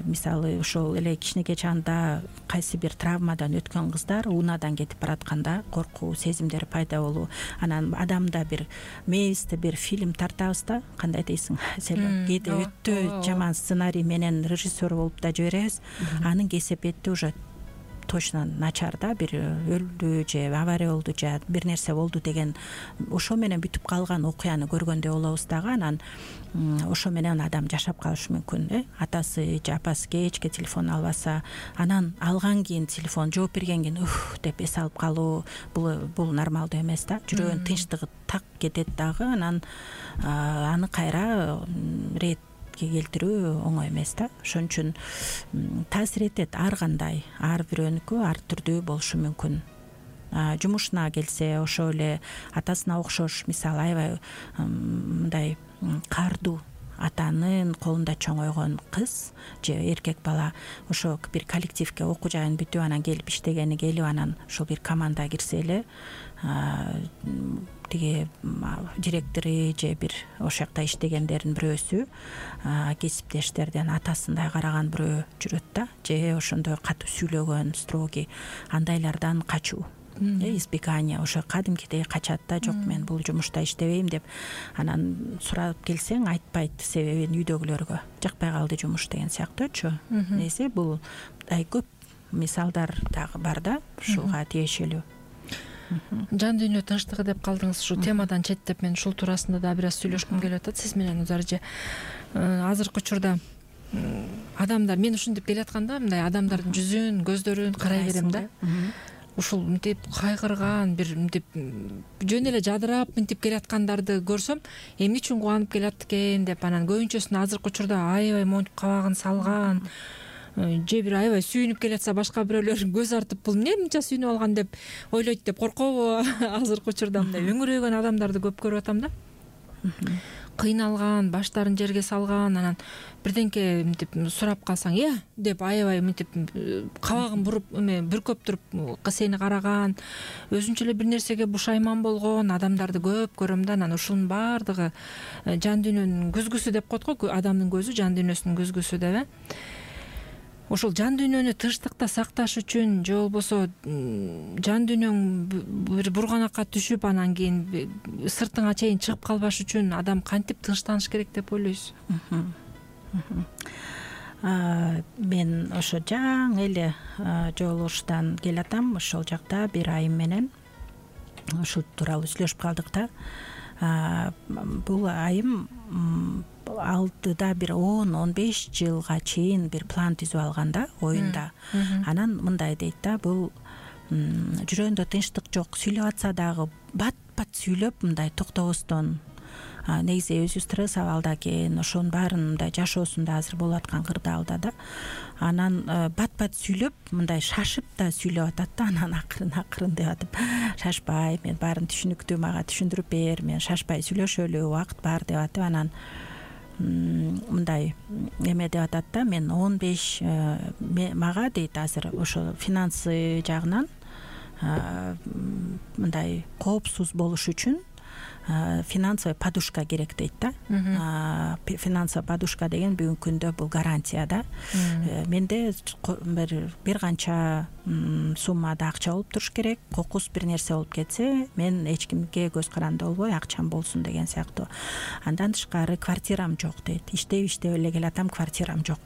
мисалы ошол эле кичинекей чагында кайсы бир травмадан өткөн кыздар унадан кетип баратканда коркуу сезимдери пайда болуу. Анан адамда бир мээбизде бир фильм тартабыз да, кандай дейсиң, кээде өтө жаман сценарий менен режиссер болуп да жиберебиз, анын кесепети уже точно начар да, бир өлдү же авария болду же бир нерсе болду деген ошо менен бүтүп калган окуяны көргөндөй болобуз дагы. Анан ошо менен адам жашап калышы мүмкүн. Атасы же апасы кечке телефон албаса, анан алган кийин телефон жооп берген кийин деп эс алып калуу, бул нормалдуу эмес да. Жүрөгүнүн тынчтыгы так кетет дагы, анан аны кайра келтирүү оңой эмес да. Ошон үчүн таасир этет ар кандай, ар бирөөнүкү ар түрдүү болушу мүмкүн. Жумушуна келсе, ошо эле атасына окшош, мисалы аябай мындай кардуу атанын колунда чоңойгон кыз же эркек бала ошо бир коллективге окуу жайын бүтүп анан келип иштегени келип, анан ошол бир команда кирсе эле тиги директору же бир ошол жакта иштегендердин бирөөсү кесиптештерден атасындай караган бирөө жүрөт да, же ошондой катуу сүйлөгөн строгий андайлардан качуу, избегание, ошо кадимкидей качат да, жок мен бул жумушта иштебейм деп анан сурап келсең айтпайт себебин үйдөгүлөргө, жакпай калды жумуш деген сыяктуучу. Несе бул көп мисалдар дагы бар да ушуга тиешелүү. Жан дүйнө тынчтыгы деп калдыңыз, ушул темадан четтеп мен ушул туурасында да бир аз сүйлөшкүм келип атат сиз менен Узар эже. Азыркы учурда адамдар, мен ушинтип келатканда мындай адамдардын жүзүн, көздөрүн карай берем да. Ушул мынтип кайгырган, бир мынтип жөн эле жадырап мынтип келаткандарды көрсөм, эмне үчүн кубанып келат экен деп, анан көбүнчөсүн азыркы учурда аябай монтип кабагын салган, же бир аябай сүйүнүп келатса башка бирөөлөр көз артып бул эмне мынча сүйүнүп алган деп ойлойт деп коркобу? Азыркы учурда мындай өңүрөйгөн адамдарды көп көрүп атам да. Кыйналган, баштарын жерге салган, анан бирденке мынтип сурап калсаң деп аябай мынтип кабагын буруп бүркөп туруп сени караган, өзүнчө эле бир нерсеге бушайман болгон адамдарды көп көрөм да. Анан ушунун баардыгы жан дүйнөнүн көзгүсү деп коет го, адамдын көзү жан дүйнөсүнүн көзгүсү деп. Ошол жан дүйнөнү тынчтыкта сакташ үчүн же болбосо жан дүйнөң бир бурганакка түшүп анан кийин сыртыңа чейин чыгып калбаш үчүн адам кантип тынчтаныш керек деп ойлойсуз? Мен ошо жаңы эле жолугуштан келатам. Ошол жакта бир айым менен ушул тууралуу сүйлөшүп калдык да. Бул айым алдыда бир 10-15 жылга чейин бир план түзүп алган да, оюнда. Анан мындай дейт да, бул жүрөгүндө тынчтык жок, сүйлөп атса дагы бат-бат сүйлөп мындай токтобостон, негизи өзү стресс абалда экен, ошонун баарын мындай жашоосунда азыр болуп аткан кырдаалда да. Анан бат-бат сүйлөп мындай шашып да сүйлөп атат да, анан акырын деп атып, шашпай, мен баарын түшүнүктүү, мага түшүндүрүп бер, мен шашпай сүйлөшөлү, убакыт бар деп атып, анан мындай эме деп атат да, мен 15 мага дейт азыр ошо финансы жагынан мындай коопсуз болуш үчүн финансовый подушка керек дейт да. Финансовый подушка деген бүгүнкү күндө бул гарантия да. Менде бир канча суммада акча болуп туруш керек, кокус бир нерсе болуп кетсе, мен эч кимге көз каранды болбой акчам болсун деген сыяктуу. Андан тышкары квартирам жок дейт. Иштеп эле келатам, квартирам жок.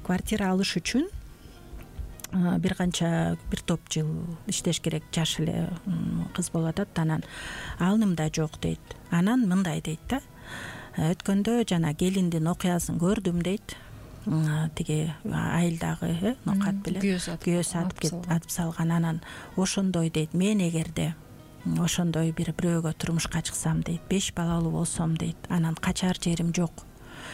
Квартира алыш үчүн бир топ жыл иштеш керек, жаш эле кыз болуп атат. Анан алым да жок дейт. Анан мындай дейт да, өткөндө жана келиндин окуясын көрдүм дейт. Тиги айылдагы нокат беле күйөөсү атып салган. Анан ошондой дейт, мен эгерде ошондой бирөөгө турмушка чыксам дейт, 5 балалуу болсом дейт, анан качар жерим жок,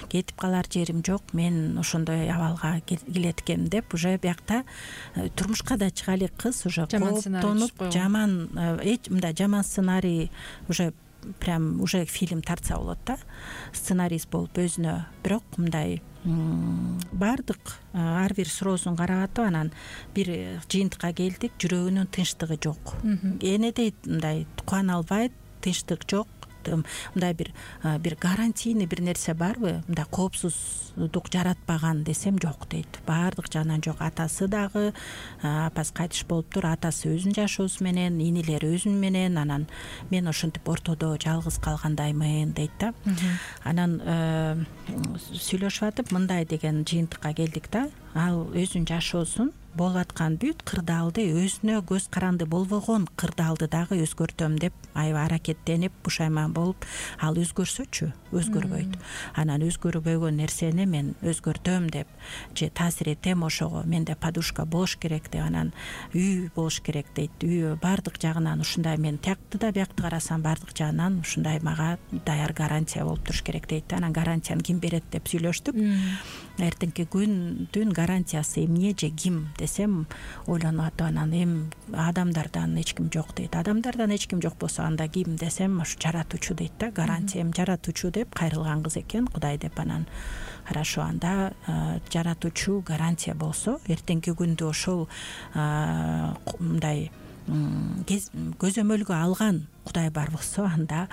кетип калар жерим жок, мен ошондой абалга келет экем деп, уже биякта турмушка да чыга элек кыз уже кооптонуп, мындай жаман сценарий уже прям уже фильм тартса болот да, сценарист болуп өзүнө. Бирок мындай баардык ар бир суроосун карап атып, анан бир жыйынтыкка келдик, жүрөгүнүн тынчтыгы жок. Эне дейт мындай кубана албайт, тынчтык жок. Мындай бир гарантийный бир нерсе барбы, мындай коопсуздук жаратпаган десем жок дейт. Баардык жагынан жок. Атасы дагы, апасы кайтыш болуптур, атасы өзүнүн жашоосу менен, инилери өзүнүн менен, анан мен ошентип ортодо жалгыз калгандаймын дейт да. Анан сүйлөшүп атып мындай деген жыйынтыкка келдик да, ал өзүнүн жашоосун болуп аткан бүт кырдаалды, өзүнө көз каранды болбогон кырдаалды дагы өзгөртөм деп аябай аракеттенип, бушайман болуп, ал өзгөрсөчү, өзгөрбөйт. Анан өзгөрбөгөн нерсени мен өзгөртөм деп, же таасир этем ошого, менде подушка болуш керек деп, анан үй болуш керек дейт. Үй баардык жагынан ушундай, мен тиякты да биякты карасам баардык жагынан ушундай мага даяр гарантия болуп туруш керек дейт. Анан гарантияны ким берет деп сүйлөштүк. Эртеңки күндүн гарантиясы эмне же ким десем, ойлонуп атып, анан эми адамдардан эч ким жок дейт. Адамдардан эч ким жок болсо анда ким десем, ошо жаратуучу дейт да. Гарантия эми жаратуучу деп кайрылган кыз экен, Кудай деп. Анан хорошо, анда жаратуучу гарантия болсо, эртеңки күндө ошол мындай көзөмөлгө алган Кудай бар болсо анда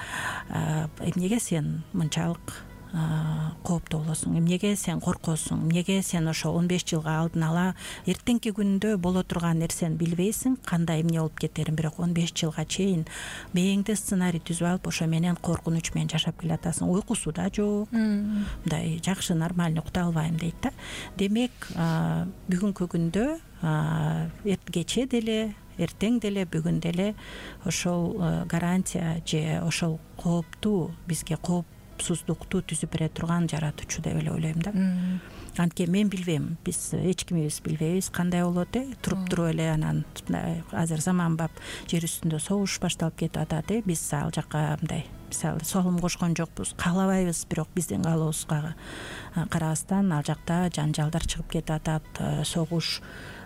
эмнеге сен мынчалык кооптуу болосуң, эмнеге сен коркосуң, эмнеге сен ошо 15 жылга алдын ала эртеңки күндө боло турган нерсени билбейсиң, кандай эмне болуп кетерин, бирок 15 жылга чейин мээңде сценарий түзүп алып ошо менен коркунуч менен жашап келатасың, уйкусу да жок, мындай жакшы нормальный уктап албайм дейт да. Демек бүгүнкү күндө кечээ деле, эртең деле, бүгүн деле ошол гарантия же ошол кооптуу, бизге коопсуздукту түзүп бере турган жаратуучу деп эле ойлойм да. Анткени мен билбейм, биз эч кимибиз билбейбиз кандай болот, туруп эле анан азыр заманбап жер үстүндө согуш башталып кетип атат, биз ал жака мындай мисалы салым кошкон жокпуз, каалабайбыз, бирок биздин каалообузга карабастан ал жакта жанжалдар чыгып кетип атат, согуш,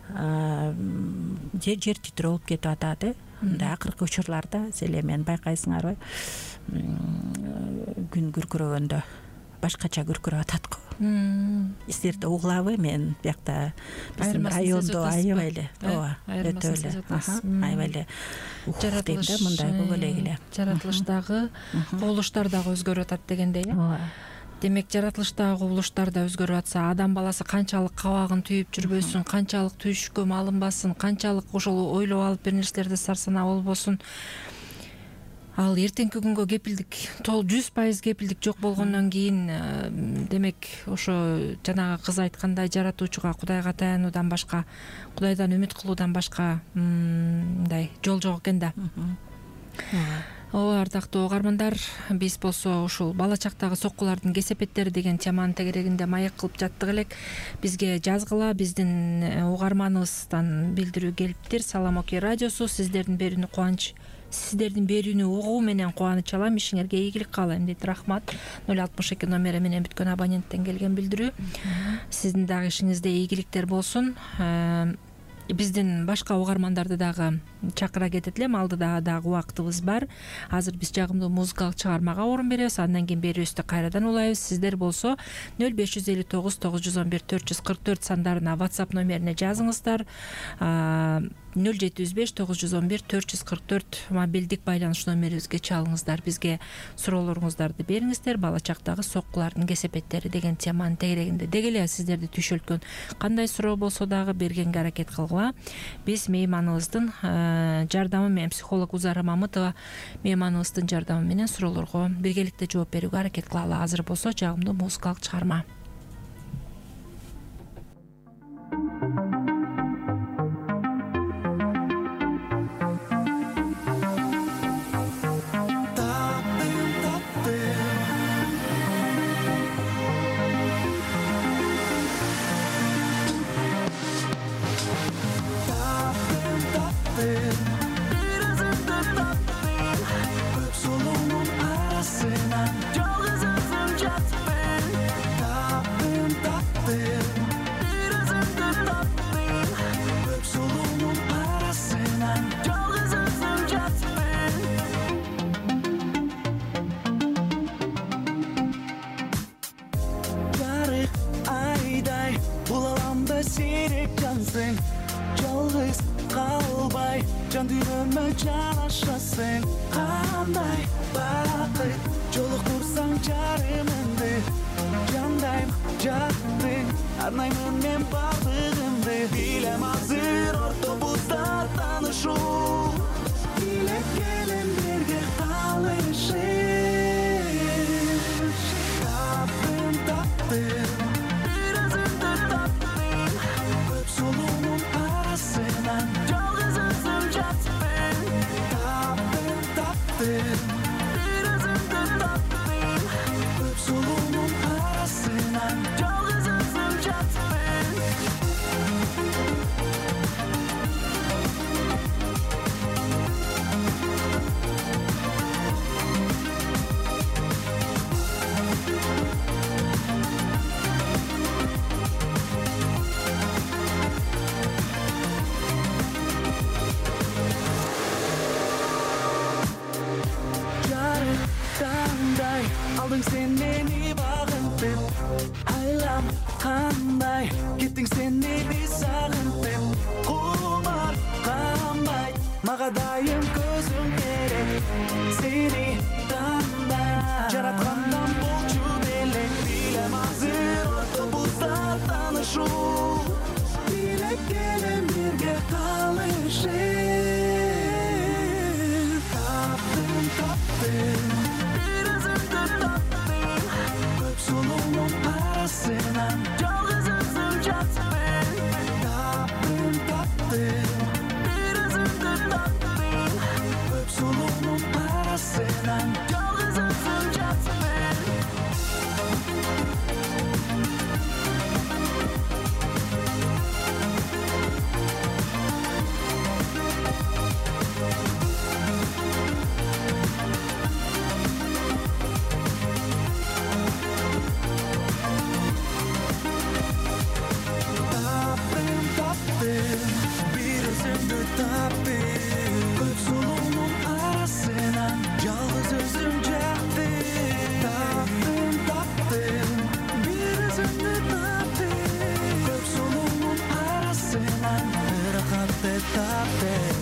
жер титирөө болуп кетип атат. Мындай акыркы учурларда эле мен байкайсыңарбы, күн күркүрөгөндө башкача күркүрөп атат го. Сиздерде угулабы? Мен биякта биздин райондо аябай эле, ооба, өтө эле, аябай эле дейм да, мындай боло эле. Жаратылыштагы кубулуштар дагы өзгөрүп атат дегендей. Ооба. Демек жаратылыштагы кубулуштар да өзгөрүп атса, адам баласы канчалык кабагын түйүп жүрбөсүн, канчалык түйшүккө малынбасын, канчалык ошол ойлоп алып бир нерселерде сарсанаа болбосун, ал эртеңки күнгө кепилдик, 100% кепилдик жок болгондон кийин, демек ошо жанагы кыз айткандай жаратуучуга, Кудайга таянуудан башка, Кудайдан үмүт кылуудан башка мындай жол жок экен да. Ооба, ардактуу угармандар, биз болсо ушул бала чактагы соккулардын кесепеттери деген теманын тегерегинде маек кылып жаттык элек. Бизге жазгыла, биздин угарманыбыздан билдирүү келиптир. Салам Оке радиосу сиздердин берүүнү угуу менен кубаныч алам, ишиңерге ийгилик каалайм дейт. Рахмат. 062 номери менен бүткөн абоненттен келген билдирүү. Сиздин дагы ишиңизде ийгиликтер болсун. Биздин башка угармандарды дагы чакыра кетет элем, алдыда дагы убактыбыз бар. Азыр биз жагымдуу музыкалык чыгармага орун беребиз, андан кийин берүүбүздү кайрадан улайбыз. Сиздер болсо 0559 911 444 сандарына WhatsApp номерине жазыңыздар. 075 911 444 мобилдик байланыш номерибизге чалыңыздар. Бизге суроолоруңуздарды бериңиздер. Бала чактагы соккулардын кесепеттери деген теманын тегерегинде деги эле сиздерди түйшөлткөн кандай суроо болсо дагы бергенге аракет кылгыла. Биз мейманыбыздын жардамы менен, психолог Узара Мамытова мейманыбыздын жардамы менен суроолорго биргеликте жооп берүүгө аракет кылалы. Азыр болсо жагымдуу музыкалык чыгарма. Жалгыз калбай, жан дүйнөмө жанашасың, кандай бакыт жолуктурсаң жарымыңды, жандайм жаттың, арнаймын мен бардыгымды. Билем азыр ортобузда таанышуу, билеп келем бирге калышып. Таптым бир өзүңдү таптым, көп солуунун арасынан жалгыз өзүм жатпын. Таптым бир өзүңдү таптым, көп солуунун арасынан жалгыз өзүм жатпын. Кандай алдың сен мени багынтып, айлам кандай кеттиң сен мени сагынтып, кумар канбайт мага дайым көзүң керек. Сени танда жараткандан болчу белек. Билем азыр автобуста таанышуу, билек келем бирге калышып. Таптым бир өзүңдү таптым, көп сулуунун арасынан жалгыз өзүм жатпын. Таптым бир өзүңдү таптым, көп сулуунун арасынан жалгыз өзүм жатпын. Bir özümdü taптым, көп сулуунун арасынан жалгыз өзүм жаттым. Таптым, бир өзүмдү таптым, көп сулуунун арасынан ырахатты таптым.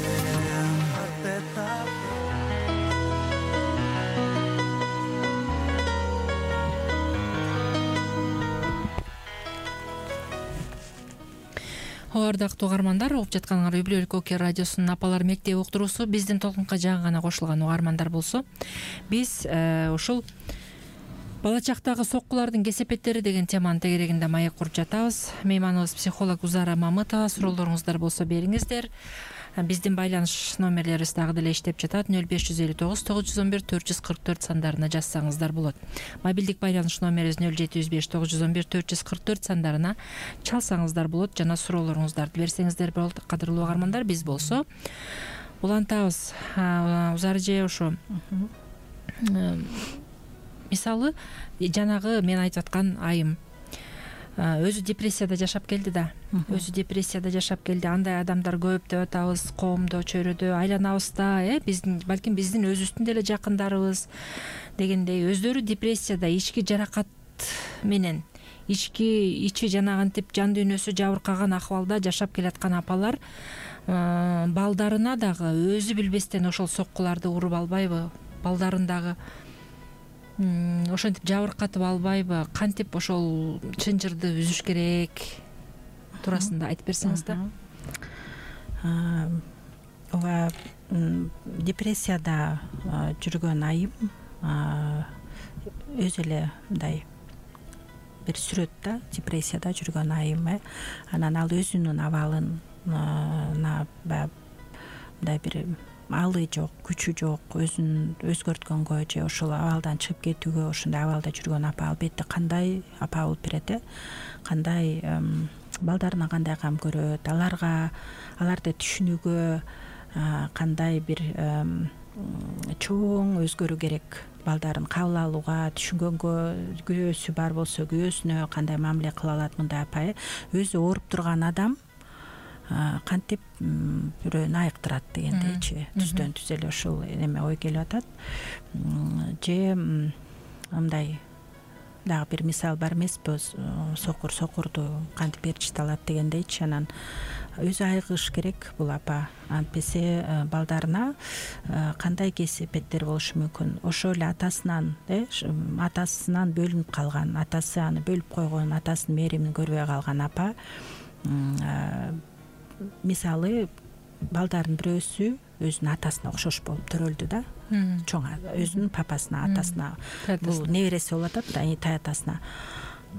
Ардактуу угармандар, угуп жатканыңар Үй бүлөлүк Оке радиосунун Апалар мектеби уктуруусу. Биздин толкунга жаңы гана кошулган угармандар болсо, биз ушул бала чактагы соккулардын кесепеттери деген теманын тегерегинде маек куруп жатабыз. Мейманыбыз психолог Узара Мамытова. Суроолоруңуздар болсо бериңиздер. Биздин байланыш номерлерибиз дагы деле иштеп жатат. 0559 911 444 сандарына жазсаңыздар болот. Мобилдик байланыш номерибиз 0705 911 444 сандарына чалсаңыздар болот жана суроолоруңуздарды берсеңиздер болот. Кадырлуу угармандар, биз болсо улантабыз. Узар эже, ошо мисалы жанагы мен айтып аткан айым өзү депрессияда жашап келди да. Андай адамдар көп деп атабыз, коомдо, чөйрөдө, айланабызда, биздин балким биздин өзүбүздүн деле жакындарыбыз дегендей өздөрү депрессияда, ички жаракат менен, ичи жанагынтип жан дүйнөсү жабыркаган акыбалда жашап келаткан апалар балдарына дагы өзү билбестен ошол соккуларды уруп албайбы? Балдарын дагы ошентип жабыркатып албайбы? Кантип ошол чынжырды үзүш керек туурасында айтып берсеңиз да. Ооба, депрессияда жүргөн айым өзү эле мындай бир сүрөт да, депрессияда жүргөн айым. Анан ал өзүнүн абалын мындай бир алы жок, күчү жок, өзүн өзгөрткөнгө же ошол абалдан чыгып кетүүгө, ошондой абалда жүргөн апа албетте кандай апа болуп берет, кандай балдарына кандай кам көрөт, аларды түшүнүүгө кандай бир чоң өзгөрүү керек, балдарын кабыл алууга, түшүнгөнгө, күйөөсү бар болсо күйөөсүнө кандай мамиле кыла алат мындай апа. Өзү ооруп турган адам кантип бирөөнү айыктырат дегендейчи, түздөн түз эле ушул эме ой келип атат. Же мындай дагы бир мисал бар эмеспи, сокурду кантип ээрчите алат дегендейчи. Анан өзү айыгыш керек бул апа, антпесе балдарына кандай кесепеттер болушу мүмкүн. Ошол эле атасынан бөлүнүп калган, атасы аны бөлүп койгон, атасынын мээримин көрбөй калган апа, мисалы балдардын бирөөсү өзүнүн атасына окшош болуп төрөлдү да, чоң өзүнүн папасына, атасына, бул небереси болуп атат да, таятасына.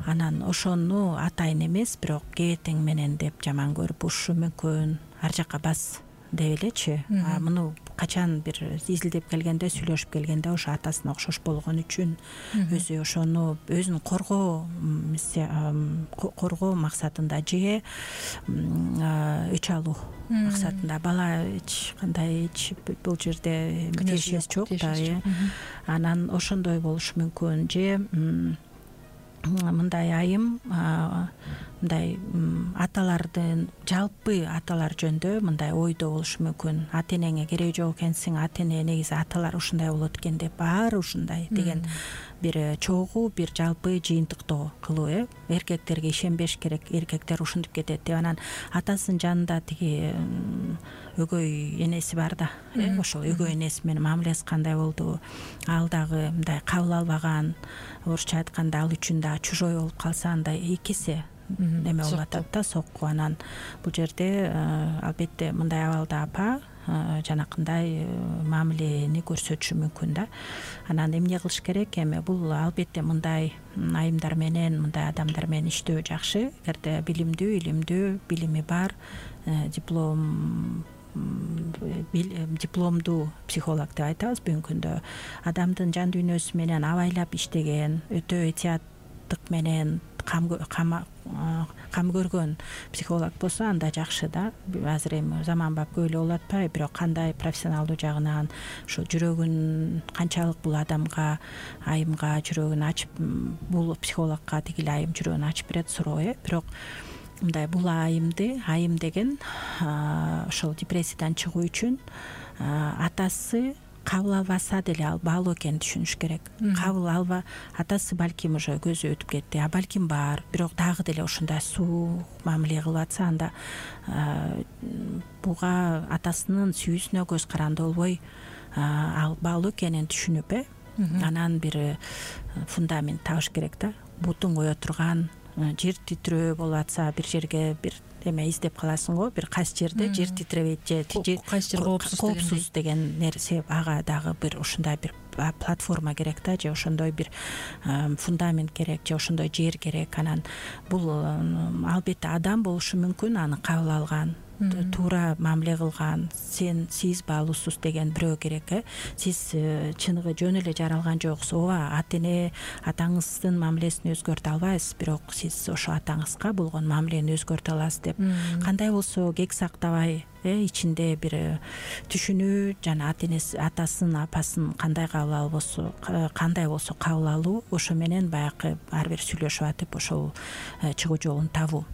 Анан ошону атайын эмес, бирок кебетең менен деп жаман көрүп урушу мүмкүн, ар жакка бас деп элечи. Муну качан бир изилдеп келгенде, сүйлөшүп келгенде ошо атасына окшош болгон үчүн өзү ошону өзүн коргоо максатында же өч алуу максатында, бала эч кандай бул жерде тиешеси жок да. Анан ошондой болушу мүмкүн. Же мындай айым, мындай аталардын, жалпы аталар жөнүндө мындай ойдо болушу мүмкүн. Ата энеңе кереги жок экенсиң, ата эне негизи аталар ушундай болот экен деп, баары ушундай деген бир чогуу бир жалпы жыйынтыктоо кылуу. Эркектерге ишенбеш керек, эркектер ушинтип кетет деп. Анан атасынын жанында тиги өгөй энеси бар да, ошол өгөй энеси менен мамилеси кандай болду, ал дагы мындай кабыл албаган, орусча айтканда ал үчүн да чужой болуп калса андай экиси эме болуп атат да, сокку. Анан бул жерде албетте мындай абалда апа жанакындай мамилени көрсөтүшү мүмкүн да. Анан эмне кылыш керек? Эми бул албетте мындай айымдар менен, мындай адамдар менен иштөө жакшы. Эгерде билимдүү, илимдүү, билими бар, дипломдуу психолог деп айтабыз бүгүнкү күндө, адамдын жан дүйнөсү менен абайлап иштеген, өтө этияттык менен кам көргөн психолог болсо анда жакшы да. Азыр эми заманбап көп эле болуп атпайбы, бирок кандай профессионалдуу жагынан ушу жүрөгүн канчалык бул адамга, айымга жүрөгүн ачып, бул психологко тиги эле айым жүрөгүн ачып берет, суроо. Бирок мындай бул айым деген ошол депрессиядан чыгуу үчүн атасы кабыл албаса деле ал баалуу экенин түшүнүш керек. Кабыл алба, атасы балким уже көзү өтүп кетти, балким бар, бирок дагы деле ошондой суук мамиле кылып атса, анда буга атасынын сүйүүсүнө көз каранды болбой ал баалуу экенин түшүнүп, анан бир фундамент табыш керек да. Бутуң кое турган, жер титирөө болуп атса, бир жерге бир эме издеп каласың го, бир кайсы жерде жер титиребейт же кайсы жер коопсуз деген нерсе, ага дагы бир ушундай бир платформа керек да, же ошондой бир фундамент керек, же ошондой жер керек. Анан бул албетте адам болушу мүмкүн, аны кабыл алган, туура мамиле кылган, сиз баалуусуз деген бирөө керек. Сиз чыныгы жөн эле жаралган жоксуз, ооба, ата эне атаңыздын мамилесин өзгөртө албайсыз, бирок сиз ошо атаңызга болгон мамилени өзгөртө аласыз деп. Кандай болсо кек сактабай, ичинде бир түшүнүү, жана ата энеси, атасын, апасын кандай кабыл болсо кабыл алуу, ошо менен баягы ар бир сүйлөшүп атып ошол чыгуу жолун табуу.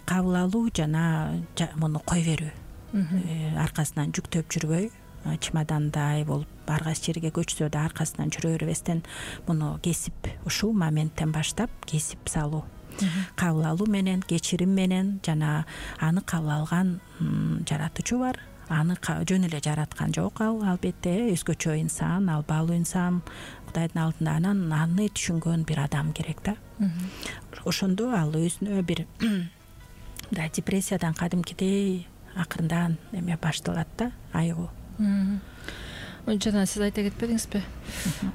Кабыл алуу жана муну кой берүү, аркасынан жүктөп жүрбөй, чемодандай болуп ар кайсы жерге көчсө да аркасынан жүрө бербестен, муну кесип, ушул моменттен баштап кесип салуу, кабыл алуу менен, кечирим менен, жана аны кабыл алган жаратуучу бар, аны жөн эле жараткан жок ал, албетте өзгөчө инсан, ал баалуу инсан Кудайдын алдында. Анан аны түшүнгөн бир адам керек да. Ошондо ал өзүнө бир мындай депрессиядан кадимкидей акырындан эме башталат да, айыгуу. Жана сиз айта кетпедиңизби?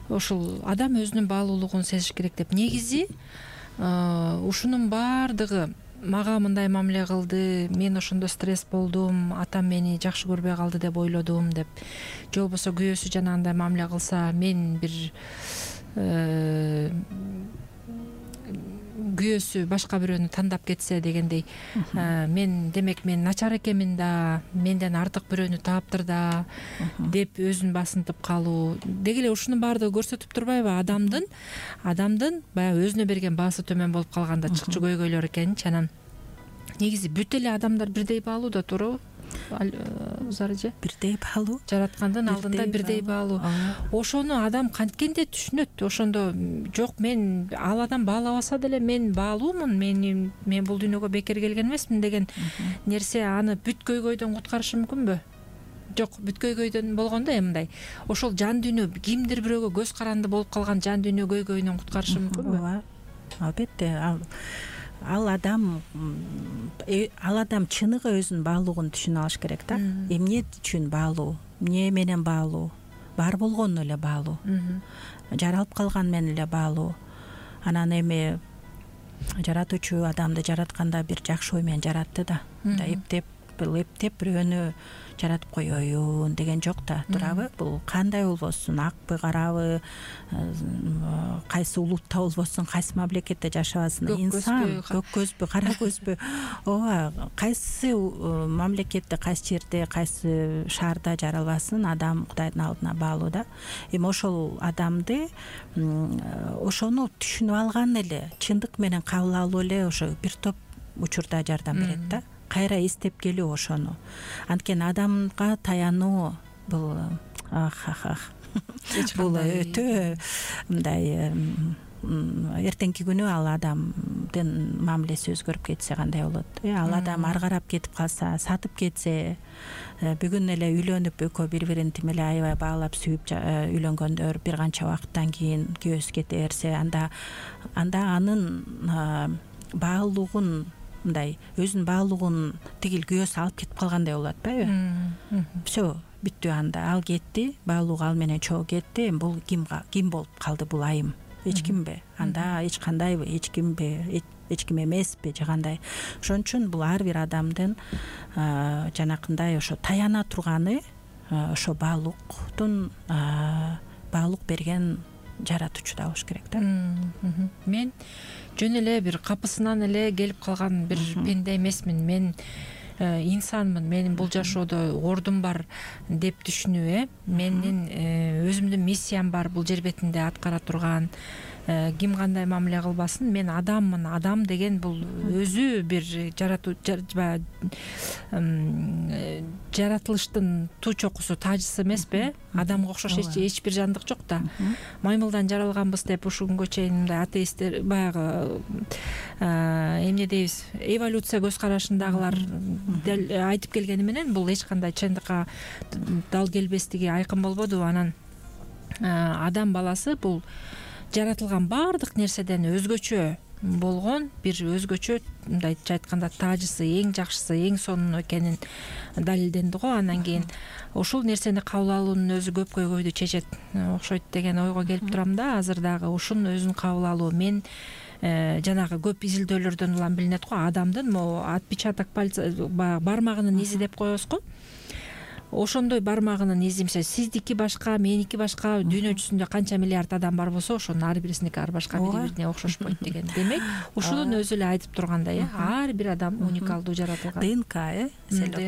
Ошол адам өзүнүн баалуулугун сезиш керек деп. Негизи ушунун баардыгы мага мындай мамиле кылды, мен ошондо стресс болдум, атам мени жакшы көрбөй калды деп ойлодум деп, же болбосо күйөөсү жанагындай мамиле кылса, мен бир күйөөсү башка бирөөнү тандап кетсе дегендей, мен демек мен начар экенмин да, менден артык бирөөнү таптыр да деп өзүн басынтып калуу деги эле ушунун баардыгы көрсөтүп турбайбы адамдын баягы өзүнө берген баасы төмөн болуп калганда чыкчы көйгөйлөр экенинчи. Анан негизи бүт эле адамдар бирдей баалуу да, туурабы? Зарыжы бирдей баалуу, жараткандын алдында бирдей баалуу. Ошону адам канткенде түшүнөт. Ошондо жок, мен ал адам баалабаса деле мен баалуумун, мен бул дүйнөгө бекер келген эмесмин деген нерсе аны бүт көйгөйдөн куткарышы мүмкүнбү? Жок, бүт көйгөйдөн болгондо мындай ошол жан дүйнө, кимдир бирөөгө көз каранды болуп калган жан дүйнө көйгөйүнөн куткарышы мүмкүнбү? Ооба, албетте. Ал адам чыныгы өзүнүн баалуулугун түшүнө алыш керек да. Эмне үчүн баалуу, эмне менен баалуу, бар болгону эле баалуу, жаралып калган менен эле баалуу. Анан эми жаратуучу адамды жаратканда бир жакшы ой менен жаратты да. Эптеп бирөөнү жаратып коеюн деген жок да, туурабы? Бул кандай болбосун, акпы, карабы, кайсы улутта болбосун, кайсы мамлекетте жашабасын, инсан, көк көзбү, кара көзбү, ооба, кайсы мамлекетте, кайсы жерде, кайсы шаарда жаралбасын, адам Кудайдын алдына баалуу да. Эми ошол адамды ошону түшүнүп алган эле, чындык менен кабыл алуу эле ошо бир топ учурда жардам берет да. Кайра эстеп келүү ошону. Анткени адамга таянуу бул бул өтө мындай эртеңки күнү ал адамдын мамилеси өзгөрүп кетсе кандай болот? Ал адам ары карап кетип калса, сатып кетсе, бүгүн эле үйлөнүп экөө бири бирин тим эле аябай баалап сүйүп үйлөнгөндөр бир канча убакыттан кийин күйөөсү кете берсе, анда анын баалуулугун мындай өзүнүн баалуулугун тигил күйөөсү алып кетип калгандай болуп атпайбы? Все, бүттү, анда ал кетти, баалуулугу ал менен чогуу кетти. Бул ким болуп калды? Бул айым эч кимби? Анда эч кандайбы? Эч кимби? Эч ким эмеспи же кандай? Ошон үчүн бул ар бир адамдын жанакындай ошо таяна турганы ошо баалуулуктун баалуулук берген жаратуучуда болуш керек да. Мен жөн эле бир капысынан эле келип калган бир пенде эмесмин. Мен инсанмын. Менин бул жашоодо ордум бар деп түшүнүү, менин өзүмдүн миссиям бар бул жер бетинде аткара турган. Ким кандай мамиле кылбасын, мен адаммын. Адам деген бул өзү бир жаратылыштын туу чокусу, тажысы эмеспи? Адамга окшош эч бир жандык жок да. Маймылдан жаралганбыз деп ушул күнгө чейин мындай атеисттер баягы эмне дейбиз, эволюция көз карашындагылар айтып келгени менен бул эч кандай чындыкка дал келбестиги айкын болбоду. Анан адам баласы бул жаратылган баардык нерседен өзгөчө болгон бир өзгөчө, мындайча айтканда, тажысы, эң жакшысы, эң сонун экенин далилденди го. Андан кийин ушул нерсени кабыл алуунун өзү көп көйгөйдү чечет окшойт деген ойго келип турам да. Азыр дагы ушунун өзүн кабыл алуу, мен жанагы көп изилдөөлөрдөн улам билинет го, адамдын могу отпечаток пальца бармагынын изи деп коебуз го. Ошондой бармагынын изи, мисалы сиздики башка, меники башка, дүйнө жүзүндө канча миллиард адам бар болсо, ошонун ар бирисиники ар башка, бири бирине окшошпойт деген. Демек, ушунун өзү эле айтып тургандай, ар бир адам уникалдуу жаратылган. ДНК,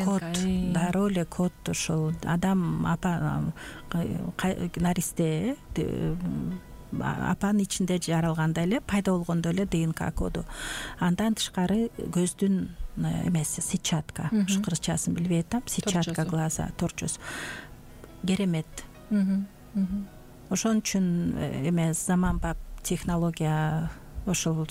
код, дароо эле код. Ошол адам наристе апанын ичинде жаралганда эле, пайда болгондо эле ДНК коду. Андан тышкары көздүн эмеси, сетчатка, кыргызчасын билбей атам, сетчатка глаза, торчос, керемет. Ошон үчүн заманбап технология ошол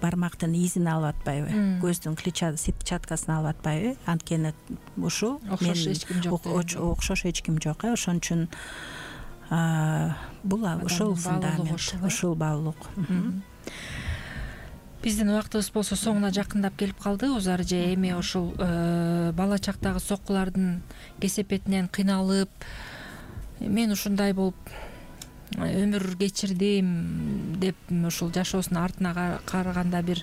бармактын изин алып атпайбы, көздүн сетчаткасын алып атпайбы? Анткени ушул окшош эч ким жок. Ошон үчүн бул ушул фундамент, ушул баалуулук. Биздин убактыбыз болсо соңуна жакындап келип калды. Узар же эми ушул бала чактагы соккулардын кесепетинен кыйналып, мен ушундай болуп өмүр кечирдим деп ушул жашоосунун артына караганда бир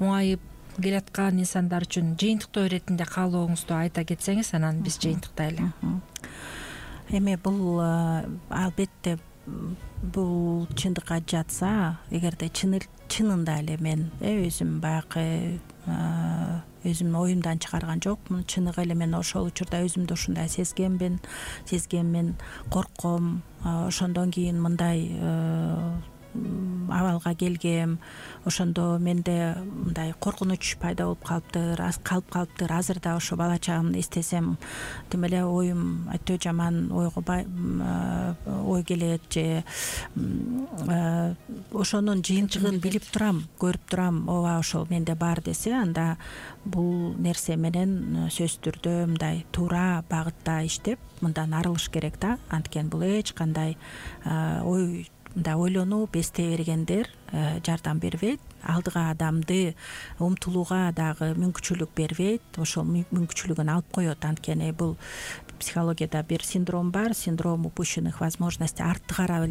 муңайып келаткан инсандар үчүн жыйынтыктоо иретинде каалооңузду айта кетсеңиз, анан биз жыйынтыктайлы. Эми бул албетте бул чындыкка жатса, эгерде чынында эле мен өзүм баягы өзүмдүн оюмдан чыгарган жокмун, чыныгы эле мен ошол учурда өзүмдү ушундай сезгенмин, коркком. Ошондон кийин мындай абалга келгем. Ошондо менде мындай коркунуч пайда болуп калыптыр. Азыр да ошо бала чагымды эстесем, тим эле оюм өтө жаман ой келет, же ошонун жыйынтыгын билип турам, көрүп турам, ооба ошол менде бар десе, анда бул нерсе менен сөзсүз түрдө мындай туура багытта иштеп, мындан арылыш керек да. Анткени бул эч кандай мындай ойлонуу, бесте бергендер жардам бербейт. Алдыга адамды умтулууга дагы мүмкүнчүлүк бербейт. Ошол мүмкүнчүлүгүн алып коет. Анткени бул психологияда бир синдром бар, синдром упущенных возможностей. Артты карап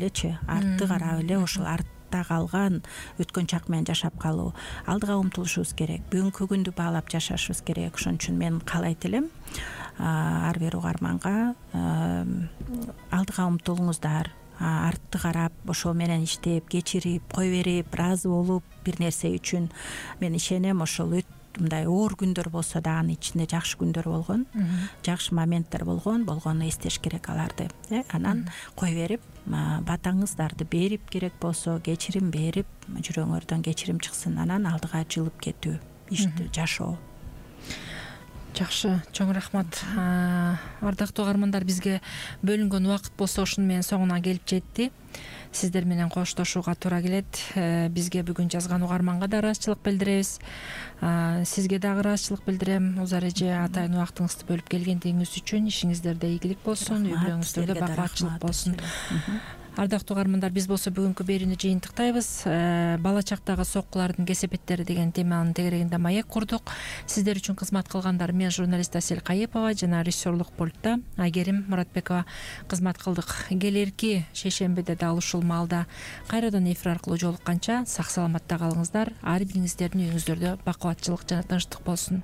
эле, ошол артта калган өткөн чак менен жашап калуу. Алдыга умтулушубуз керек, бүгүнкү күндү баалап жашашыбыз керек. Ошон үчүн мен каалайт элем ар бир угарманга алдыга умтулуңуздар, артты карап, ошол менен иштеп, кечирип, кой берип, ыраазы болуп бир нерсе үчүн. Мен ишенем, ошол мындай оор күндөр болсо да анын ичинде жакшы күндөр болгон, жакшы моменттер болгону эстеш керек аларды. Анан кой берип, батаңыздарды берип, керек болсо кечирим берип, жүрөгүңөрдөн кечирим чыксын, анан алдыга жылып кетүү, ишти жашоо. Жакшы, чоң рахмат. Ардактуу угармандар, бизге бөлүнгөн убакыт болсо ушуну менен соңуна келип жетти. Сиздер менен коштошууга туура келет. Бизге бүгүн жазган угарманга да ыраазычылык билдиребиз. Сизге дагы ыраазычылык билдирем. Узар эже, атайын убактыңызды бөлүп келгендигиңиз үчүн. Ишиңиздерде ийгилик болсун, үй бүлөңүздөрдө бакубатчылык болсун. Ардактуу угармандар, биз болсо бүгүнкү берүүнү жыйынтыктайбыз. Бала чактагы соккулардын кесепеттери деген теманын тегерегинде маек курдук. Сиздер үчүн кызмат кылгандар мен журналист Асель Кайыпова жана режиссерлук пультта Айгерим Муратбекова кызмат кылдык. Келерки шейшембиде дал ушул маалда кайрадан эфир аркылуу жолукканча сак саламатта калыңыздар. Ар бириңиздердин үйүңүздөрдө бакубатчылык жана тынчтык болсун.